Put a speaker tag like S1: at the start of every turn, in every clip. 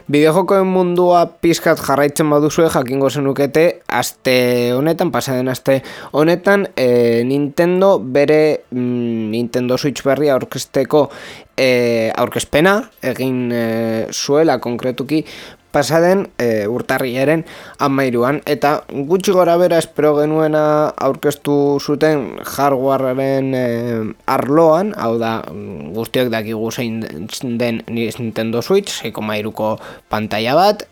S1: Bideojokoen mundua pizkat jarraitzen baduzue jakingo zenukete aste honetan, pasaden aste honetan, Nintendo bere Nintendo Switch berria aurkezteko aurkezpena egin zuela konkretuki pasaden urtarrilaren 13an, eta gutxi gora bera espero genuena aurkeztu zuten hardwarearen arloan, hau da guztiok dakigu zein den Nintendo Switch, 6,3ko pantaila bat,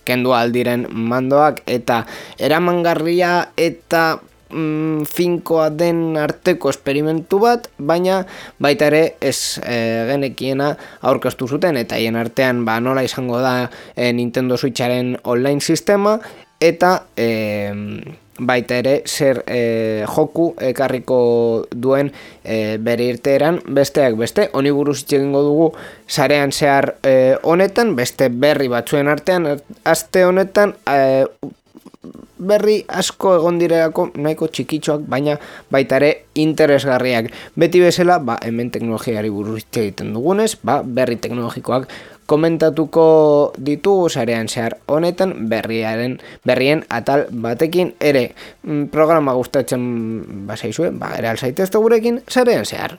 S1: kendu aldiren mandoak eta eramangarria eta finkoa den arteko esperimentu bat, baina baita ere ez genekiena aurkeztu zuten, eta hien artean nola izango da Nintendo Switcharen online sistema, eta baita ere zer joku ekarriko duen bere irteeran besteak beste. Honi buruz hitz egingo dugu sarean zehar honetan, beste berri batzuen artean aste honetan berri asko egon direlako nahiko txikitxoak, baina baita ere interesgarriak. Beti bezala, hemen teknologiari buruz hitz egiten dugunez, berri teknologikoak komentatuko ditugu sarean zehar honetan berrien atal batekin ere. Programa gustatzen bazaizue, ere alzaitezte gurekin sarean zehar.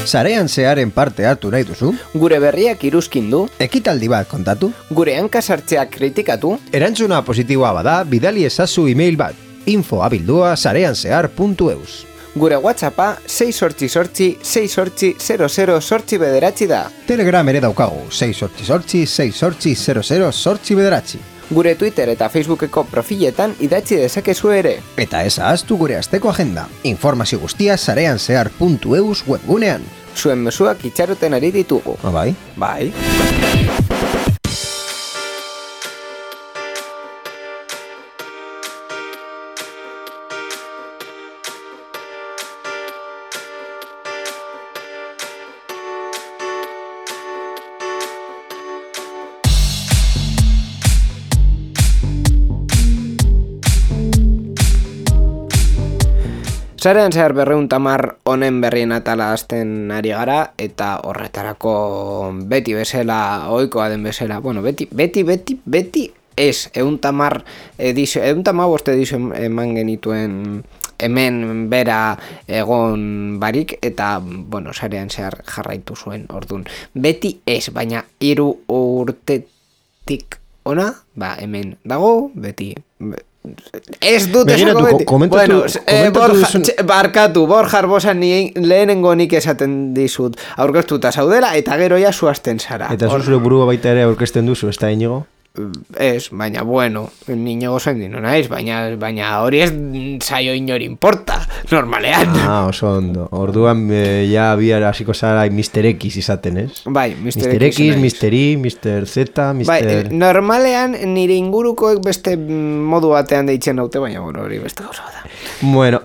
S2: Sarean zearen parte hartu nahi duzu?
S1: Gure berriak iruzkindu?
S2: Ekitaldi bat kontatu?
S1: Gure hankasartzeak kritikatu?
S2: Erantzuna positiboa bada, bidali ezazu email bat, info@sareanzehar.eus.
S1: Gure WhatsAppa 688-688-00-bederatzi da.
S2: Telegram ere daukagu, 688-688-00-bederatzi.
S1: Gure Twitter eta Facebookeko profiletan idatzi dezakezu ere.
S2: Eta ez ahaztu gure asteko agenda. Informazio guztia sareanzehar.eus webgunean.
S1: Zuen mezuak itxaroten ari ditugu.
S2: Bai.
S1: Bai. Sarean zehar 210 honen berrien atala hasten ari gara, eta horretarako beti bezala, ohikoa den bezala, beti ez, 210 edizio eman genituen hemen bera egon barik, eta, sarean zehar jarraitu zuen, ordun. Beti ez, baina 3 urtetik ona, hemen dago, beti. Ez dut esako beti. Barkatu, Borja Arbosa lehenengo nik esaten dizut aurkeztuta zaudela, eta gero ja zuazten zara.
S2: Eta zure burua baita ere aurkezten duzu, ez da Inigo?
S1: Ez, baina Inigo zen dino naiz, baina hori ez zaio inori importa, normalean.
S2: Oso ondo. Orduan ja biara hasiko zara Mr. X izaten, ez?
S1: Bai,
S2: Mr. X, Mr. Y, Mr. Z, Mr...
S1: Bai, normalean nire ingurukoek beste modu batean deitzen daute, baina hori beste gauza da.
S2: Bueno,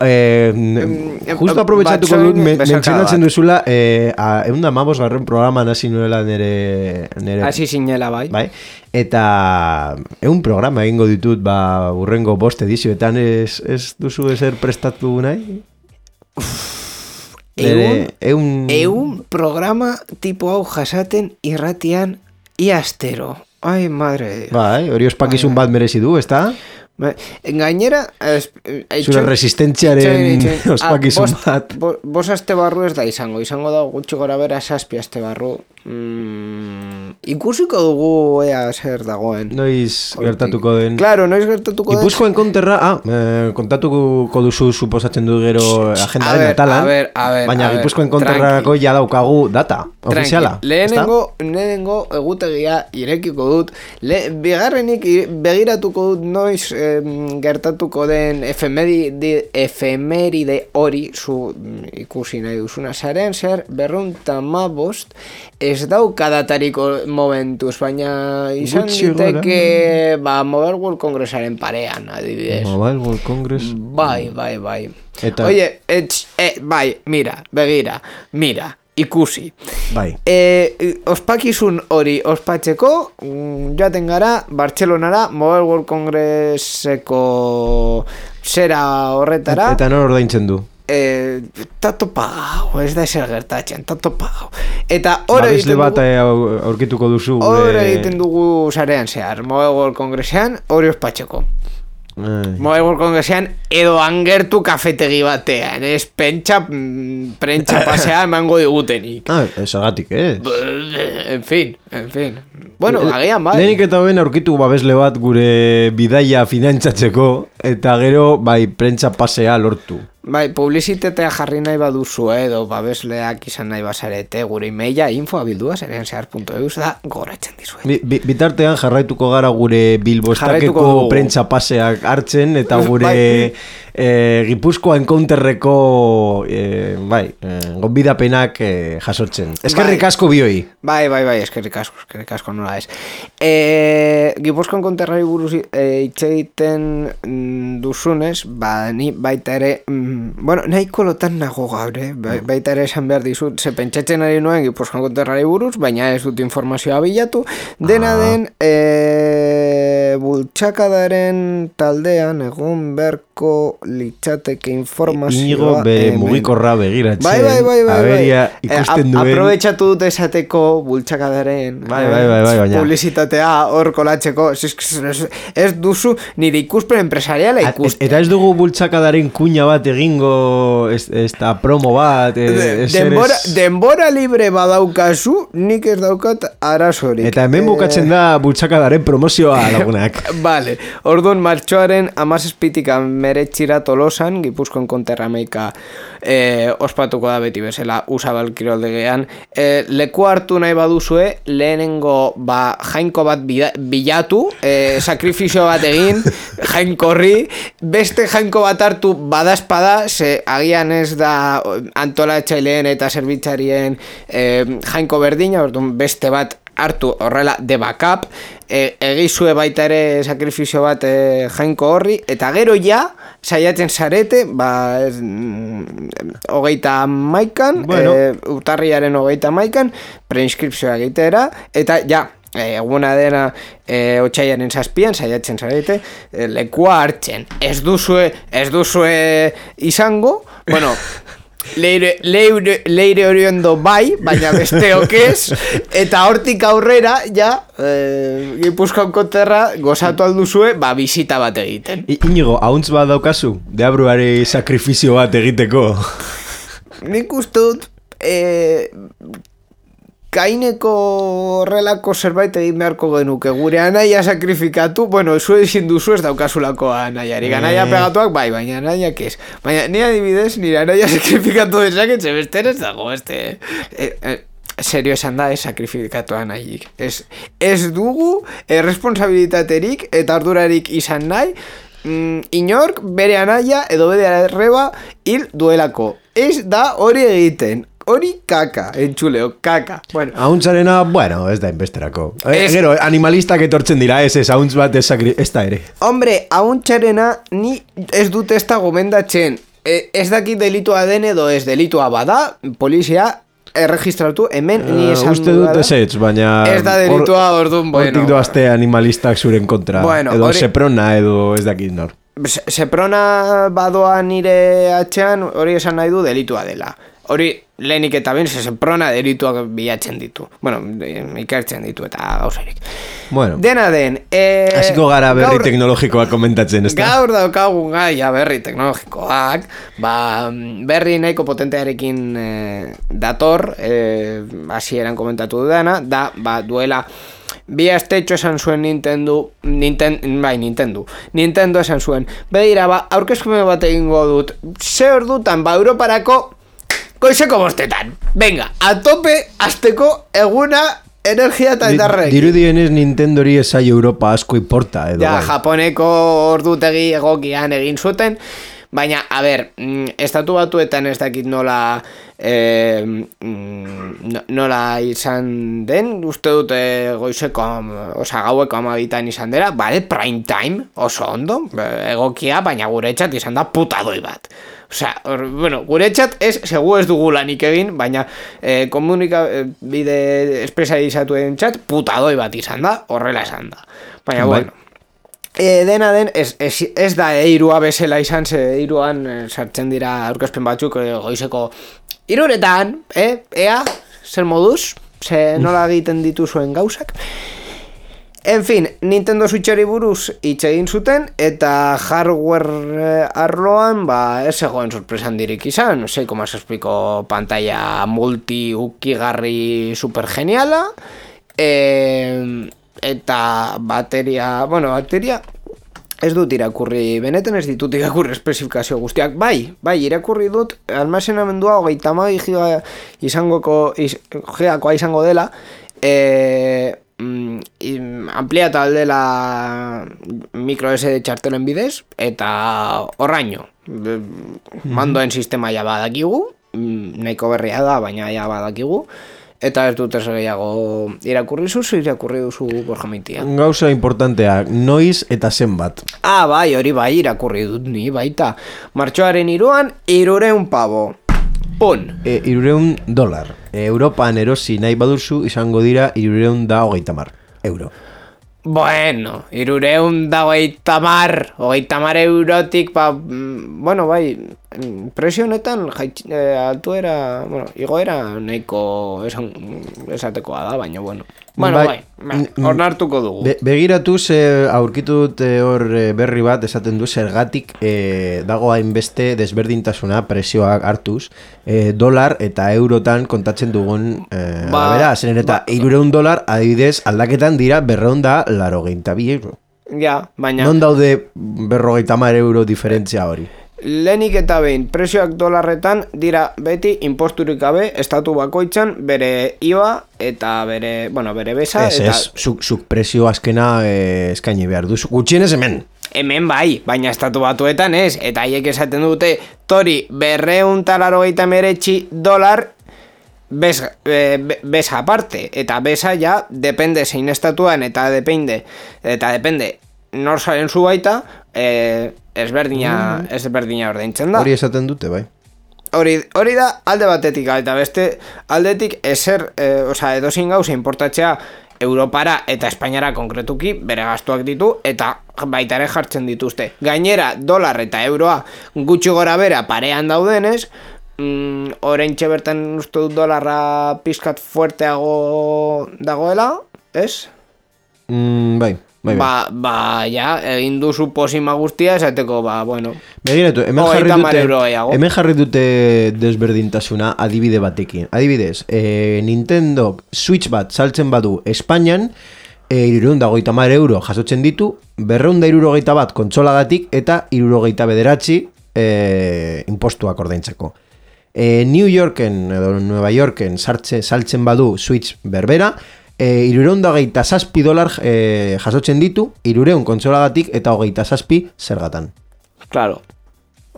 S2: justo aprobetxatuko dut, mentzionatzen duzula, 115 programan hasi nuela nire...
S1: Hasi zinela, bai.
S2: Eta programa egingo ditut urrengo 5 edizioetan, ez duzu ezer prestatu nahi?
S1: Programa tipo hau jasaten irratian iastero. Ai, madre.
S2: Bai, hori ospakizun bat merezi du, ez da?
S1: Gainera
S2: zure resistentziaren ospakizun bat.
S1: Bos aste barru ez da izango da gutxi gora bera 7 aste barru. Ikusiko dugu ea zer dagoen.
S2: Noiz gertatuko den.
S1: Claro, noiz gertatuko den.
S2: Gipuzkoen konterra, kontatuko duzu suposatzen du gero agendaren atalan. Baina Gipuzkoen konterrako ja daukagu data ofiziala.
S1: Lehenengo egutegia irekiko dut. Bigarrenik begiratuko dut noiz gertatuko den efemeride hori zu ikusi nahi duzuna zaren zer 215 ez daukadatariko momentuz, baina izan diteke Mobile World Congressaren parean, adibidez.
S2: Mobile World Congress?
S1: Bai. Eta... Oye, bai, begira, ikusi.
S2: Bai.
S1: Ospakizun hori ospatzeko joaten gara Bartzelonara Mobile World Congresseko zera horretara.
S2: Eta nor ordaintzen du?
S1: Tato pagau, ez da eser gertatzen, tato pagau. Eta hori
S2: egiten dugu... bat aurkituko duzu.
S1: Hori egiten dugu zarean zehar, Mobile World Congressean hori ospatzeko. Mobile World Congressean edo angertu kafetegi batean, ez prentsa pasea emango digutenik.
S2: Esagatik,
S1: En fin. Bueno, agian bai.
S2: Lehenik eta ben aurkitu babesle bat gure bidaia finantzatzeko, eta gero bai prentsa pasea lortu.
S1: Bai, publizitatea jarri nahi baduzu edo babesleak izan nahi bazarete gure emaila info@bilduazereanzehar.eus da goratzen dizue.
S2: Bitartean jarraituko gara gure Bilbostakeko prentsa paseak hartzen eta gure Gipuzkoa encounterreko gonbidapenak jasotzen. Eskerrik asko bioi.
S1: Bai, eskerrik asko nola ez. Gipuzkoa encounterrari buruz hitz egiten duzunez, ni baita ere nahiko lotan nago gaur, baita ere esan behar dizut, ze pentsatzen ari nuen Gipuzkoa encounterrari buruz, baina ez dut informazioa bilatu, dena den bultzakadaren taldean egun berko litzateke informazioa
S2: Inigo bere mugikorra begiratzen.
S1: Bai.
S2: Aberia ikusten duen.
S1: Aprobetxatu dut esateko bultzakadaren
S2: baina
S1: publizitatea hor kolatzeko. Ez duzu nire ikuspen empresariala ikusten.
S2: Eta ez dugu bultzakadaren kuña bat egingo esta promo bat.
S1: Denbora libre badaukazu, nik ez daukat arazorik.
S2: Eta hemen bukatzen da bultzakadaren promozioa lagunak.
S1: Vale, orduan martxoaren 17 meretxira Tolosan, Gipuzkoan konterrameika ospatuko da beti bezala Usabal kiroldegean. Leku hartu nahi baduzue, lehenengo jainko bat bilatu, sakrifizio bat egin, jainkorri, beste jainko bat hartu badazpada, ze agian ez da antolatzaileen eta zerbitzarien jainko berdina, orduan beste bat hartu horrela de backup, egizue baita ere sakrifizio bat jainko horri, eta gero ja saiatzen zarete, 31an, urtarriaren 31an, preinskripzioa egitera, eta ja, eguna dena otsailaren 7an saiatzen zarete, lekua hartzen. Ez duzue izango, bueno, leire oriondo bai, baina besteok ez, eta hortik aurrera ja Gipuzkoan konterra gozatu alduzue bisita bat egiten.
S2: Inigo, hauntz bat daukazu? Deabruari sakrifizio bat egiteko?
S1: Nik ustut kaineko horrelako zerbait egin beharko genuke. Gure anaia sakrifikatu, zu ezin duzu ez daukazulako anaiarik. Anaia pegatuak bai, baina anaiak ez. Baina ni adibidez, nire anaia sakrifikatu dezaketxe, beste ez dago, serio esan da ez sakrifikatu anaiik. Ez dugu responsabilitaterik eta ardurarik izan nahi, inork bere anaia edo bere arreba hil duelako. Ez da hori egiten. Hori kaka, entxuleo, kaka.
S2: Hauntzarena, ez da inbesterako. Gero, animalistak etortzen dira, ez hauntz bat ez da ere.
S1: Hombre, hauntzarena ni ez dut ez da gomendatzen. Ez dakit delitua den edo ez delitua bada, polizia erregistratu, hemen ni esan
S2: uste dut ez baina
S1: ez da delitua orduan,
S2: hortik doazte animalistak zuren kontra, edo seprona edo ez dakit nor.
S1: Seprona badoa nire atxean, hori esan nahi du delitua dela. Hori lehenik eta ben, seprona delituak bilatzen ditu. Ikertzen ditu eta gauzarik. Dena den...
S2: Hasiko gara berri teknologikoak komentatzen, ez da?
S1: Gaur daukagun gaia berri teknologikoak, berri nahiko potentearekin dator, hasieran komentatu dudana, da, duela... Bi astetxo esan zuen Nintendo esan zuen, begira, aurkezkume bat egingo dut, ze ordutan, Europarako goizeko 5:00. Venga, a tope, azteko eguna energia eta indarrek.
S2: Dirudienez Nintendori esai Europa asko importa, edo.
S1: Ja, Japoneko ordutegi egokian egin zuten, baina, a ber, estatu batuetan ez dakit nola izan den, uste dut goizeko, gaueko 12 izan dela, bale, prime time, oso ondo, egokia, baina guretzat izan da putadoi bat. Bueno, guretzat segu ez dugu lanik egin, baina komunikabide espezializatuen txat putadoi bat izan da, horrela izan da. Baina, bueno, dena den, ez da eirua bezala izan, ze eiruan sartzen dira aurkezpen batzuk goizeko 3:00, ea, zer moduz, ze nola egiten dituzuen gauzak. En fin, Nintendo Switchari buruz hitz egin zuten, eta hardware arloan, ez zegoen sorpresa handirik izan, 6,6 pantalla multi-ukigarri super geniala, eta bateria ez dut irakurri, benetan ez ditut irakurri espezifikazio guztiak, bai, irakurri dut, almazenamendua 32 gigakoa izango dela, ampliata aldela micro SD txartelen bidez, eta horraino mandoen sistema ja badakigu, nahiko berria da, baina ja badakigu, eta ez dut ez gehiago irakurri duzu Borja Maitia.
S2: Gauza importanteak, noiz eta zenbat.
S1: Bai, hori bai irakurri dut ni baita. Martxoaren 3 €300 pavo.
S2: $300. Europan erosi nahi baduzu izango dira €330.
S1: Bueno, 330 eurotik, bueno, bai, presio honetan altuera, bueno, igoera nahiko esatekoa da, baina, bueno. Bueno, bai, ornartuko dugu.
S2: Begiratuz, aurkitut hor berri bat, esaten du, zergatik dago hainbeste desberdintasuna presioak hartuz, dolar eta eurotan kontatzen dugun, zeren eta $300, adibidez, aldaketan dira €282.
S1: Ja, baina...
S2: Non daude €230 diferentzia hori?
S1: Lehenik eta behin, presioak dolarretan dira beti imposturik gabe estatu bakoitzan bere IVA eta bere besa.
S2: Zuk presio azkena eskaini behar duzu, gutxienez hemen.
S1: Hemen bai, baina estatu batuetan ez, eta haiek esaten dute, tori $289 besa aparte, eta besa ja depende zein estatuan, eta depende nor zaren zu baita, ezberdina ordaintzen da.
S2: Hori esaten dute, bai.
S1: Hori da alde batetik, eta beste aldetik edozein gauza importatzea Europara eta Espainiara konkretuki bere gastuak ditu, eta baita ere jartzen dituzte. Gainera, dolar eta euroa gutxi gora bera parean daudenez, oraintxe bertan uste dut dolarra pizkat fuerteago dagoela, ez?
S2: Bai.
S1: Ja, egin duzu posima guztia esateko, bueno.
S2: Begiratu, hemen jarri dute desberdintasuna adibide batekin. Adibidez, Nintendo Switch bat saltzen badu Espainian, €330 jasotzen ditu, €260 bat kontsolagatik eta €69 impostuak ordaintzeko. New Yorken edo Nueva Yorken saltzen badu Switch berbera, $327 jasotzen ditu, 300 kontsolagatik eta 27 zergatan.
S1: Claro,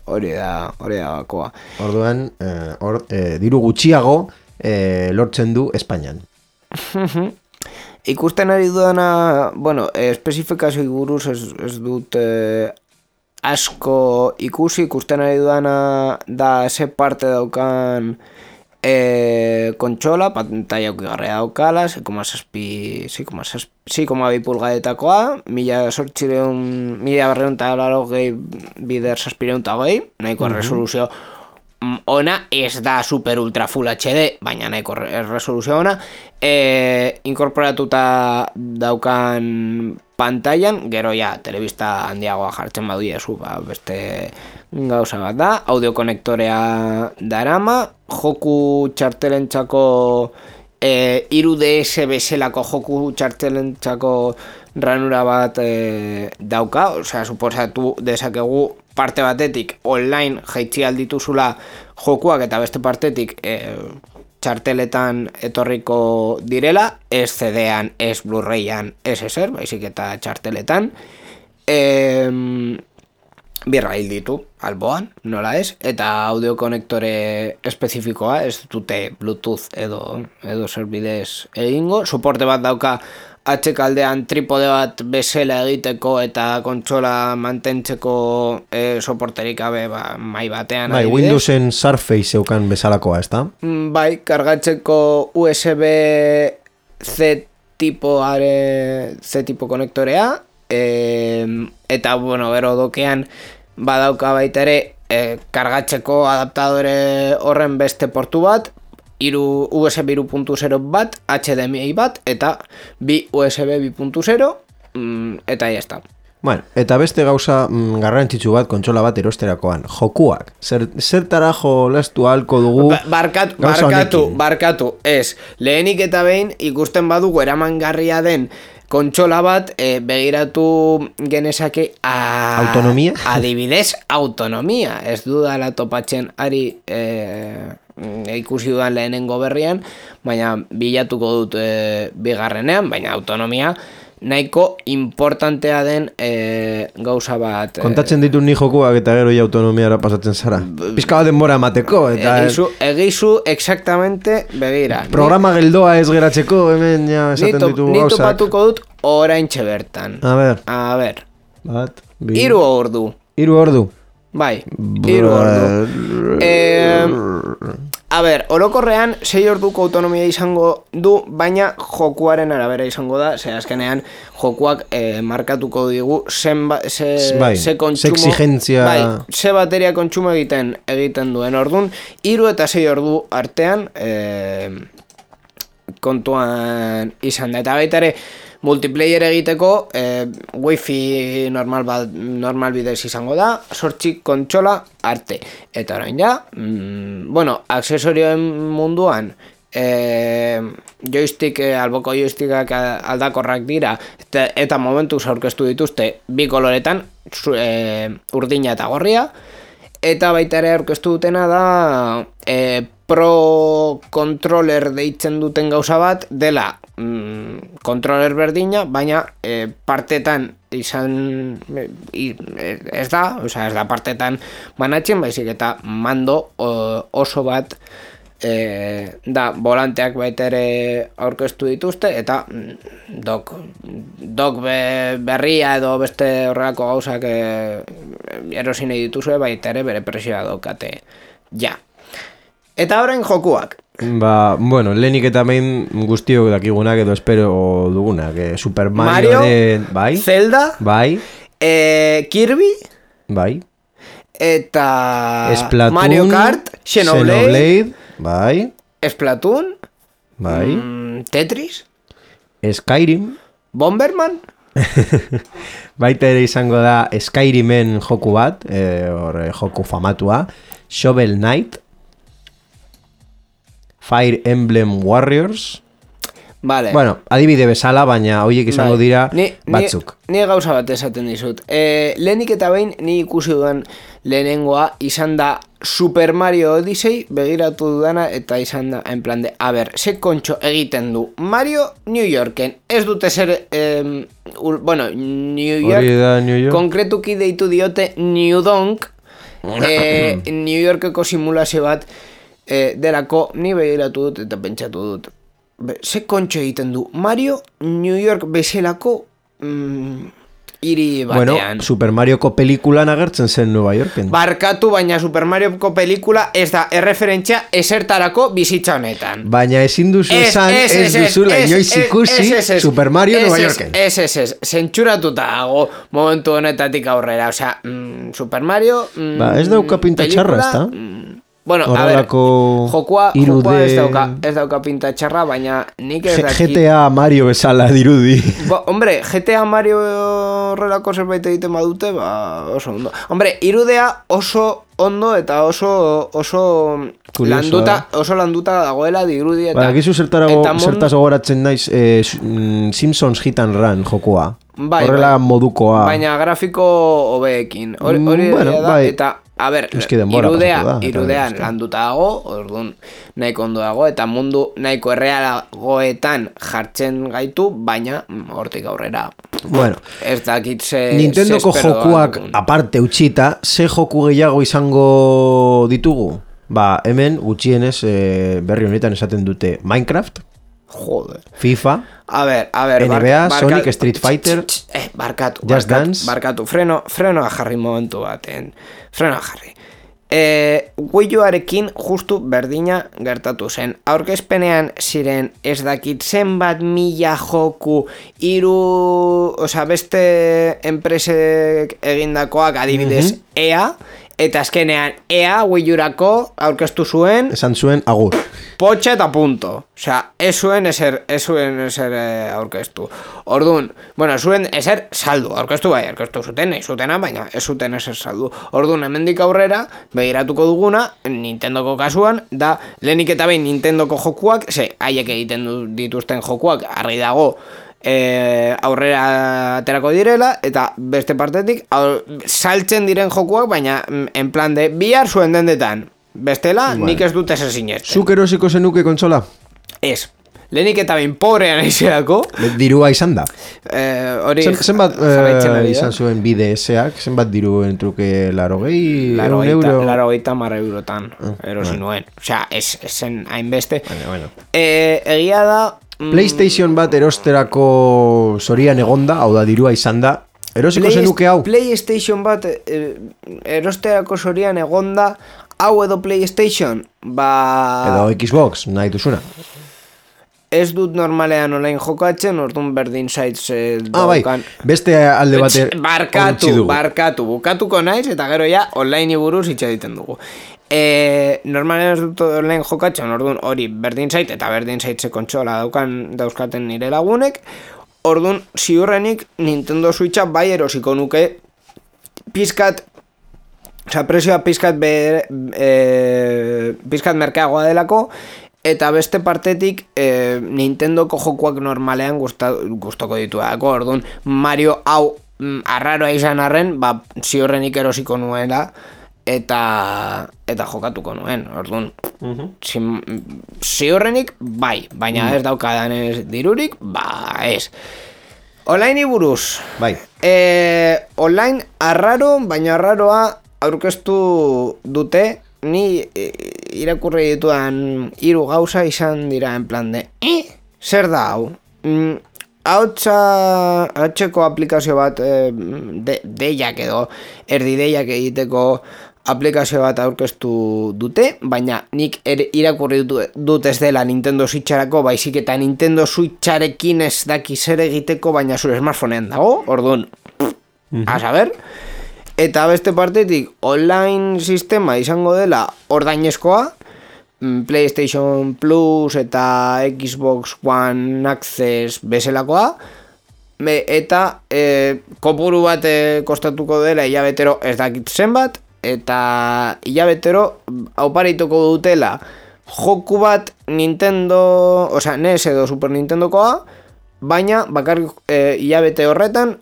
S1: hori da bakoa.
S2: Orduan, diru gutxiago lortzen du Espainian.
S1: Ikusten ari dudana, espezifikazio buruz ez dut asko ikusten ari dudana da ze parte daukan kontsola, pantalla ukigarria daukala, 6,2 pulgadetakoa, 1280 bider 720, nahiko resoluzio ona, ez da super ultra full HD, baina nahiko resoluzio ona, inkorporatuta daukan pantailan, gero ja, telebista handiagoa jartzen badu jesu, beste gauza bat da, audiokonektorea darama, joku txartelentzako 3DS bezalako joku txartelentzako ranura bat dauka, suposatu dezakegu parte batetik online jaitzi aldituzula jokuak eta beste partetik txarteletan etorriko direla, ez CD-an, ez Blu-rayan, ez ezer, baizik eta txarteletan. Birra hil ditu, alboan, nola ez, eta audio konektore espezifikoa, ez dute Bluetooth edo zerbidez egingo, soporte bat dauka atxekaldean tripode bat bezala egiteko eta kontsola mantentzeko soporterik gabe mai batean.
S2: Bai, Windowsen Surface eukan bezalakoa, ez da?
S1: Bai, kargatzeko USB-C tipo konektorea, eta, bueno, gero dokean badauka baita ere kargatzeko adaptadore horren beste portu bat, USB 3.0 bat, HDMI bat, eta bi USB 2.0, eta ya está.
S2: Bueno, eta beste gauza garrantzitsu bat kontsola bat erosterakoan, jokuak. Zertara jolastu ahalko dugu
S1: barkatu, ez. Lehenik eta behin ikusten badugu eramangarria den kontsola bat, begiratu genezake
S2: autonomia?
S1: Adibidez, autonomia. Ez dudala topatzen ari ikusi dudan lehenengo berrian, baina bilatuko dut bigarrenean, baina autonomia nahiko importantea den gauza bat.
S2: Kontatzen ditu ni jokuak eta gero autonomiara pasatzen zara. Pizka bat denbora emateko.
S1: Egizu exactamente begira.
S2: Programa geldoa ez geratzeko, hemen ja esaten ditu gauzak.
S1: Ni topatuko dut oraintxe bertan.
S2: A ber.
S1: Bat, 3 ordu.
S2: 3 ordu?
S1: Bai, 3 ordu. A ber, orokorrean 6 orduko autonomia izango du, baina jokuaren arabera izango da, ze azkenean jokuak markatuko digu ze
S2: exigentzia,
S1: ze bateria kontsumo egiten duen. Ordun 3 eta 6 ordu artean kontuan izan da. Eta baita ere multiplayer egiteko wifi normal bidez izango da, 8 kontsola arte. Eta orain ja, bueno, aksesorioen munduan joystick, alboko joystickak aldakorrak dira, eta momentuz aurkeztu dituzte bi koloretan, urdina eta gorria, eta baita ere aurkeztu dutena da Pro Controller deitzen duten gauza bat dela controller berdina, baina partetan izan ez da partetan banatzen, baizik eta mando oso bat da, volanteak baita ere aurkeztu dituzte, eta dok berria edo beste horrelako gauzak erosi nahi dituzue, baita ere bere presioa daukate ja. Eta orain jokuak.
S2: Bueno, lehenik eta main guztiok dakigunak edo espero dugunak. Super Mario, bai.
S1: Zelda,
S2: bai.
S1: Kirby,
S2: bai.
S1: Eta
S2: Splatoon,
S1: Mario Kart, Xenoblade,
S2: bai.
S1: Splatoon,
S2: bai.
S1: Tetris,
S2: Skyrim,
S1: Bomberman.
S2: Baita ere izango da Skyrimen joku bat, joku famatua, Shovel Knight, Fire Emblem Warriors.
S1: Vale.
S2: Bueno, adibide bezala, baina horiek izango dira batzuk.
S1: Ni gauza bat esaten dizut. Lehenik eta behin ni ikusi dudan lehenengoa izan da Super Mario Odyssey, begiratu dudana, eta izan da en plan de, a ber, ze kontxo egiten du Mario New Yorken. Ez dute zer, bueno, New York, konkretuki deitu diote New Donk, New Yorkeko simulazio bat, delako ni begiratu dut eta pentsatu dut. Ze kontxo egiten du Mario New York bezalako hiri batean.
S2: Bueno, Super Marioko pelikulan agertzen zen Nueva Yorken.
S1: Barkatu, baina Super Marioko pelikula ez da erreferentzia esertarako bizitza honetan.
S2: Baina ezin duzu esan, ez duzula inoiz ikusi Super Mario Nueva Yorken.
S1: Ez, zentsuratuta dago momentu honetatik aurrera. Osea, Super Mario
S2: ez dauka pinta txarra, ez da?
S1: Bueno, a ver, jokua ez dauka pinta txarra, baina nik ez dakit...
S2: GTA Mario bezala dirudi.
S1: Hombre, GTA Mario horrelako zerbait egiten badute, oso ondo. Hombre, irudea oso ondo eta oso landuta dagoela dirudi eta...
S2: Gizu zertaz gogoratzen naiz Simpsons Hit and Run jokua. Horrela modukoa.
S1: Baina grafiko hobeekin. Hori da, eta... A ber, irudean landuta dago, orduan nahiko ondo dago, eta mundu nahiko errealagoetan jartzen gaitu, baina hortik aurrera.
S2: Bueno,
S1: ez dakit
S2: Nintendoko jokuak aparte utxita, ze joku gehiago izango ditugu? Ba, hemen gutxienez berri honetan esaten dute Minecraft,
S1: joder.
S2: FIFA,
S1: a ver,
S2: NBA, Sonic, Street Fighter, Just Dance.
S1: Barkatu, frenoa jarri momentu baten. Frenoa jarri. Wii Uarekin justu berdina gertatu zen. Aurkezpenean ziren ez dakit zenbat mila joku beste enpresek egindakoak adibidez EA, eta azkenean EA Wii Urako aurkeztu zuen
S2: esan zuen agur.
S1: Potxa eta punto. Osea, ez zuen ezer aurkeztu. Orduan, zuen ezer saldu. Aurkeztu zuten, nahi zutena, baina ez zuten ezer saldu. Orduan, hemendik aurrera, begiratuko duguna, Nintendoko kasuan, da, lehenik eta behin Nintendoko jokuak, haiek egiten dituzten jokuak, argi dago, aurrera aterako direla, eta beste partetik, saltzen diren jokuak, baina, en plan de, bihar zuen dendetan. Bestela, nik ez dut ezer sinesten.
S2: Zuk erosiko zenuke kontsola?
S1: Ez. Lehenik eta behin pobrean aizeako.
S2: Dirua izan da. Zenbat
S1: izan
S2: zuen BDS-ak? Zenbat diru entruke 80 euro?
S1: 80 eurotan erosi nuen. Osea, ez zen hainbeste. Egia da...
S2: PlayStation bat erosterako zorian egonda, hau da dirua izan da. Erosiko zenuke hau?
S1: PlayStation bat erosterako zorian egonda, hau edo PlayStation,
S2: edo Xbox, nahi duzuna.
S1: Ez dut normalean online jokatzen, orduan berdin zaitz daukan.
S2: Beste alde bater
S1: barkatu, bukatuko naiz, eta gero ja online buruz hitz egiten dugu. Normalean ez dut online jokatzen, orduan hori berdin zait, eta berdin zaitze kontsola dauzkaten nire lagunek, orduan ziurrenik Nintendo Switcha bai erosiko nuke pizkat. Osa, presioa pizkat merkeagoa delako, eta beste partetik Nintendoko jokuak normalean gustoko dituako. Orduan, Mario hau arraroa izan arren, ziurrenik erosiko nuela, eta jokatuko nuen. Orduan, ziurrenik bai, baina ez daukadan ez dirurik, ez. Online buruz.
S2: Bai.
S1: Online arraro, baina arraroa aurkeztu dute, ni irakurri ditudan 3 gauza izan dira en plan de zer da hau? Hautseko aplikazio bat deiak edo erdi deiak egiteko aplikazio bat aurkeztu dute, baina nik irakurri dut ez dela Nintendo Switcharako, baizik eta Nintendo Switcharekin ez daki zer egiteko, baina zure smartphonean dago, orduan, a saber. Eta beste partetik, online sistema izango dela ordainezkoa, PlayStation Plus eta Xbox One Access bezalakoa, eta kopuru bat kostatuko dela hilabetero ez dakit zenbat, eta hilabetero auparituko dutela joku bat Nintendo, NES edo Super Nintendokoa, baina bakarrik hilabete horretan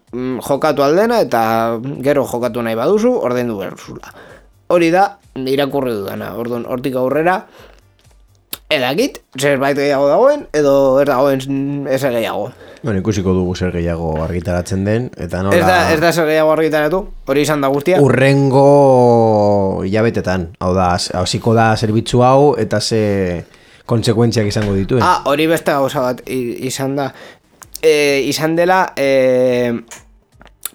S1: jokatu aldena eta gero jokatu nahi baduzu ordaindu behar. Hori da irakurri dudana. Orduan hortik aurrera edakit zerbait gehiago dagoen edo ez dagoen ezer gehiago.
S2: Bueno, ikusiko dugu zer gehiago argitaratzen den eta nola...
S1: Ez da zer gehiago argitaratu, hori izan da guztia.
S2: Urrengo hilabetetan, hau da, hasiko da zerbitzu hau eta ze kontsekuentziak izango dituen.
S1: Hori beste gauza bat izan da. Izan dela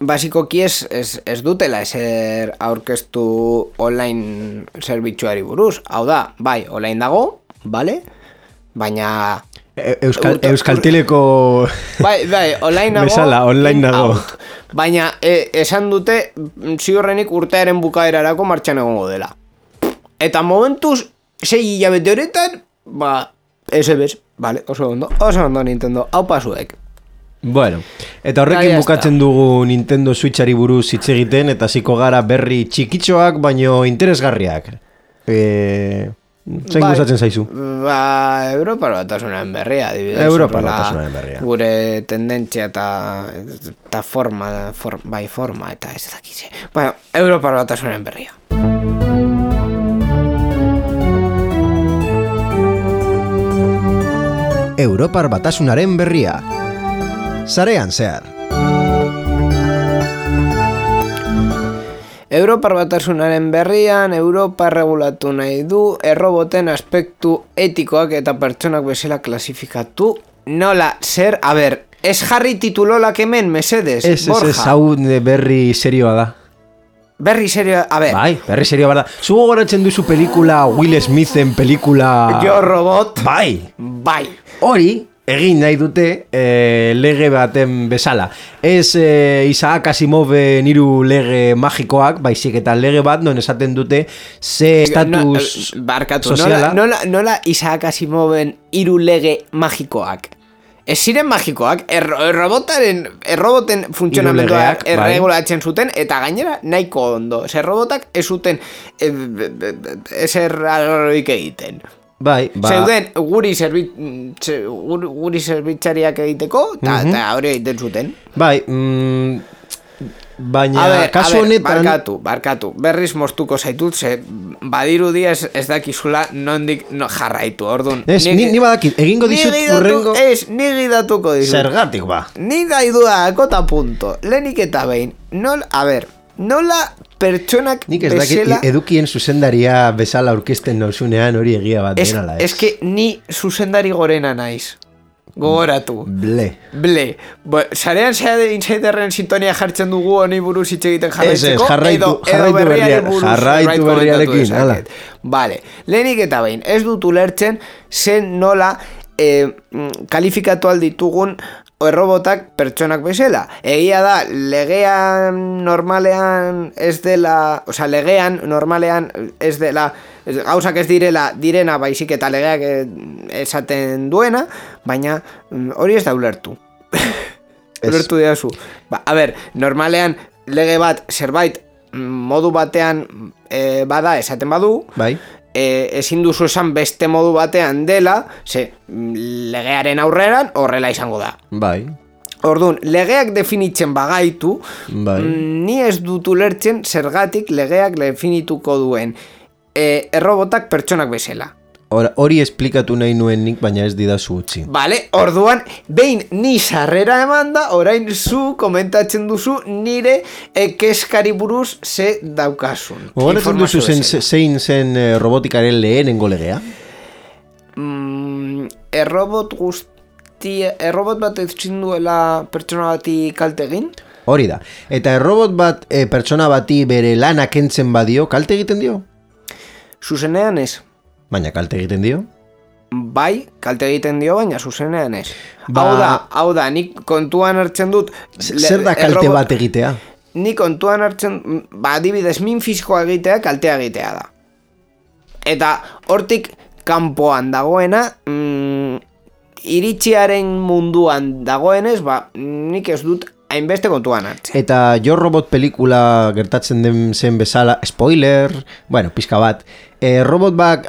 S1: basikoki ez dutela ezer aurkeztu online zerbitzuari buruz. Hau da, bai, online dago, bale? Baina...
S2: Euskalteleko...
S1: Bai, online dago.
S2: Bezala, online dago.
S1: Baina esan dute ziurrenik urtearen bukaerarako martxan egongo dela. Eta momentuz, 6 hilabete horretan, ese bez, vale, oso ondo Nintendo, hau pasuek.
S2: Bueno, eta horrekin bukatzen dugu Nintendo Switchari buruz hitz egiten eta hasiko gara berri txikitxoak baino interesgarriak. Zein gustatzen zaizu?
S1: Europar Batasunaren berria, adibidez.
S2: Europar Batasunaren berria.
S1: Gure tendentzia eta forma eta ez dakize. Bueno, Europar Batasunaren berria.
S2: Europar Batasunaren berria. Sarean zehar.
S1: Europar Batasunaren berrian, Europa regulatu nahi du, erroboten aspektu etikoak eta pertsonak bezala klasifikatu. Nola, zer, a ber, ez jarri titulolak hemen, mesedes, Borja?
S2: Ez, hau berri serioa da.
S1: Berri serioa, a ber.
S2: Bai, berri serioa da. Zugo goratzen duzu pelikula Will Smithen pelikula...
S1: Yo Robot.
S2: Bai. Hori... Egin nahi dute lege baten bezala. Ez Isaac Asimoven 3 lege magikoak, baizik eta lege bat non esaten dute ze estatus soziala.
S1: Nola Isaac Asimoven 3 lege magikoak? Ez ziren magikoak, erroboten funtzionamenduak erregulatzen zuten, eta gainera nahiko ondo. Errobotak ez zuten ezer arroik egiten.
S2: Bai,
S1: zeuden guri zerbitzariak egiteko eta hori egiten zuten.
S2: Bai, baina kasu honetan...
S1: Barkatu, berriz moztuko zaitut, ze badirudi ez dakizula nondik jarraitu, orduan.
S2: Ez, ni badakit, egingo dizut urrengo...
S1: Ez, ni gidatuko dizut.
S2: Zergatik ba.
S1: Ni daidua, akota punto. Lehenik eta behin, nola pertsonak
S2: nik ez
S1: bezala...
S2: dakit edukien zuzendaria bezala aurkezten nauzunean hori egia bat denala.
S1: Ez que ni zuzendari gorena naiz. Gogoratu.
S2: Ble.
S1: Sarean insiderren sintonia jartzen dugu honi buruz hitz egiten jarraitzeko.
S2: Jarraitu berriarekin.
S1: Vale. Lehenik eta behin, ez dut ulertzen zen nola kalifikatu alditugun errobotak pertsonak bezala. Egia da, legean normalean ez dela, legean normalean ez dela, gauzak ez direna baizik eta legeak esaten duena, baina hori ez da ulertu. Ulertu diazu. A ber, normalean lege bat zerbait modu batean bada esaten badu,
S2: bai.
S1: Ezin duzu esan beste modu batean dela, ze legearen aurreran horrela izango da.
S2: Bai.
S1: Orduan, legeak definitzen bagaitu,
S2: bai.
S1: Ni ez dut ulertzen zergatik legeak definituko duen errobotak pertsonak bezala.
S2: Hori esplikatu nahi nuen nik, baina ez didazu utzi.
S1: Vale, orduan, behin ni sarrera eman da, orain zu komentatzen duzu nire keskari buruz ze daukasun.
S2: Gogoratzen duzu zein zen robotikaren lehenengo legea?
S1: Errobot bat ezin duela pertsona bati kalte egin?
S2: Hori da. Eta errobot bat pertsona bati bere lana kentzen badio, kalte egiten dio?
S1: Zuzenean ez.
S2: Baina kalte egiten dio?
S1: Bai, kalte egiten dio, baina zuzenean ez. Hau da, nik kontuan hartzen dut...
S2: Zer da kalte bat egitea?
S1: Nik kontuan hartzen... adibidez, min fisikoa egitea, kaltea egitea da. Eta hortik kanpoan dagoena, iritziaren munduan dagoenez, nik ez dut hainbeste kontuan hartzen.
S2: Eta Jo Robot pelikula gertatzen den zen bezala, spoiler, pizka bat, robot bat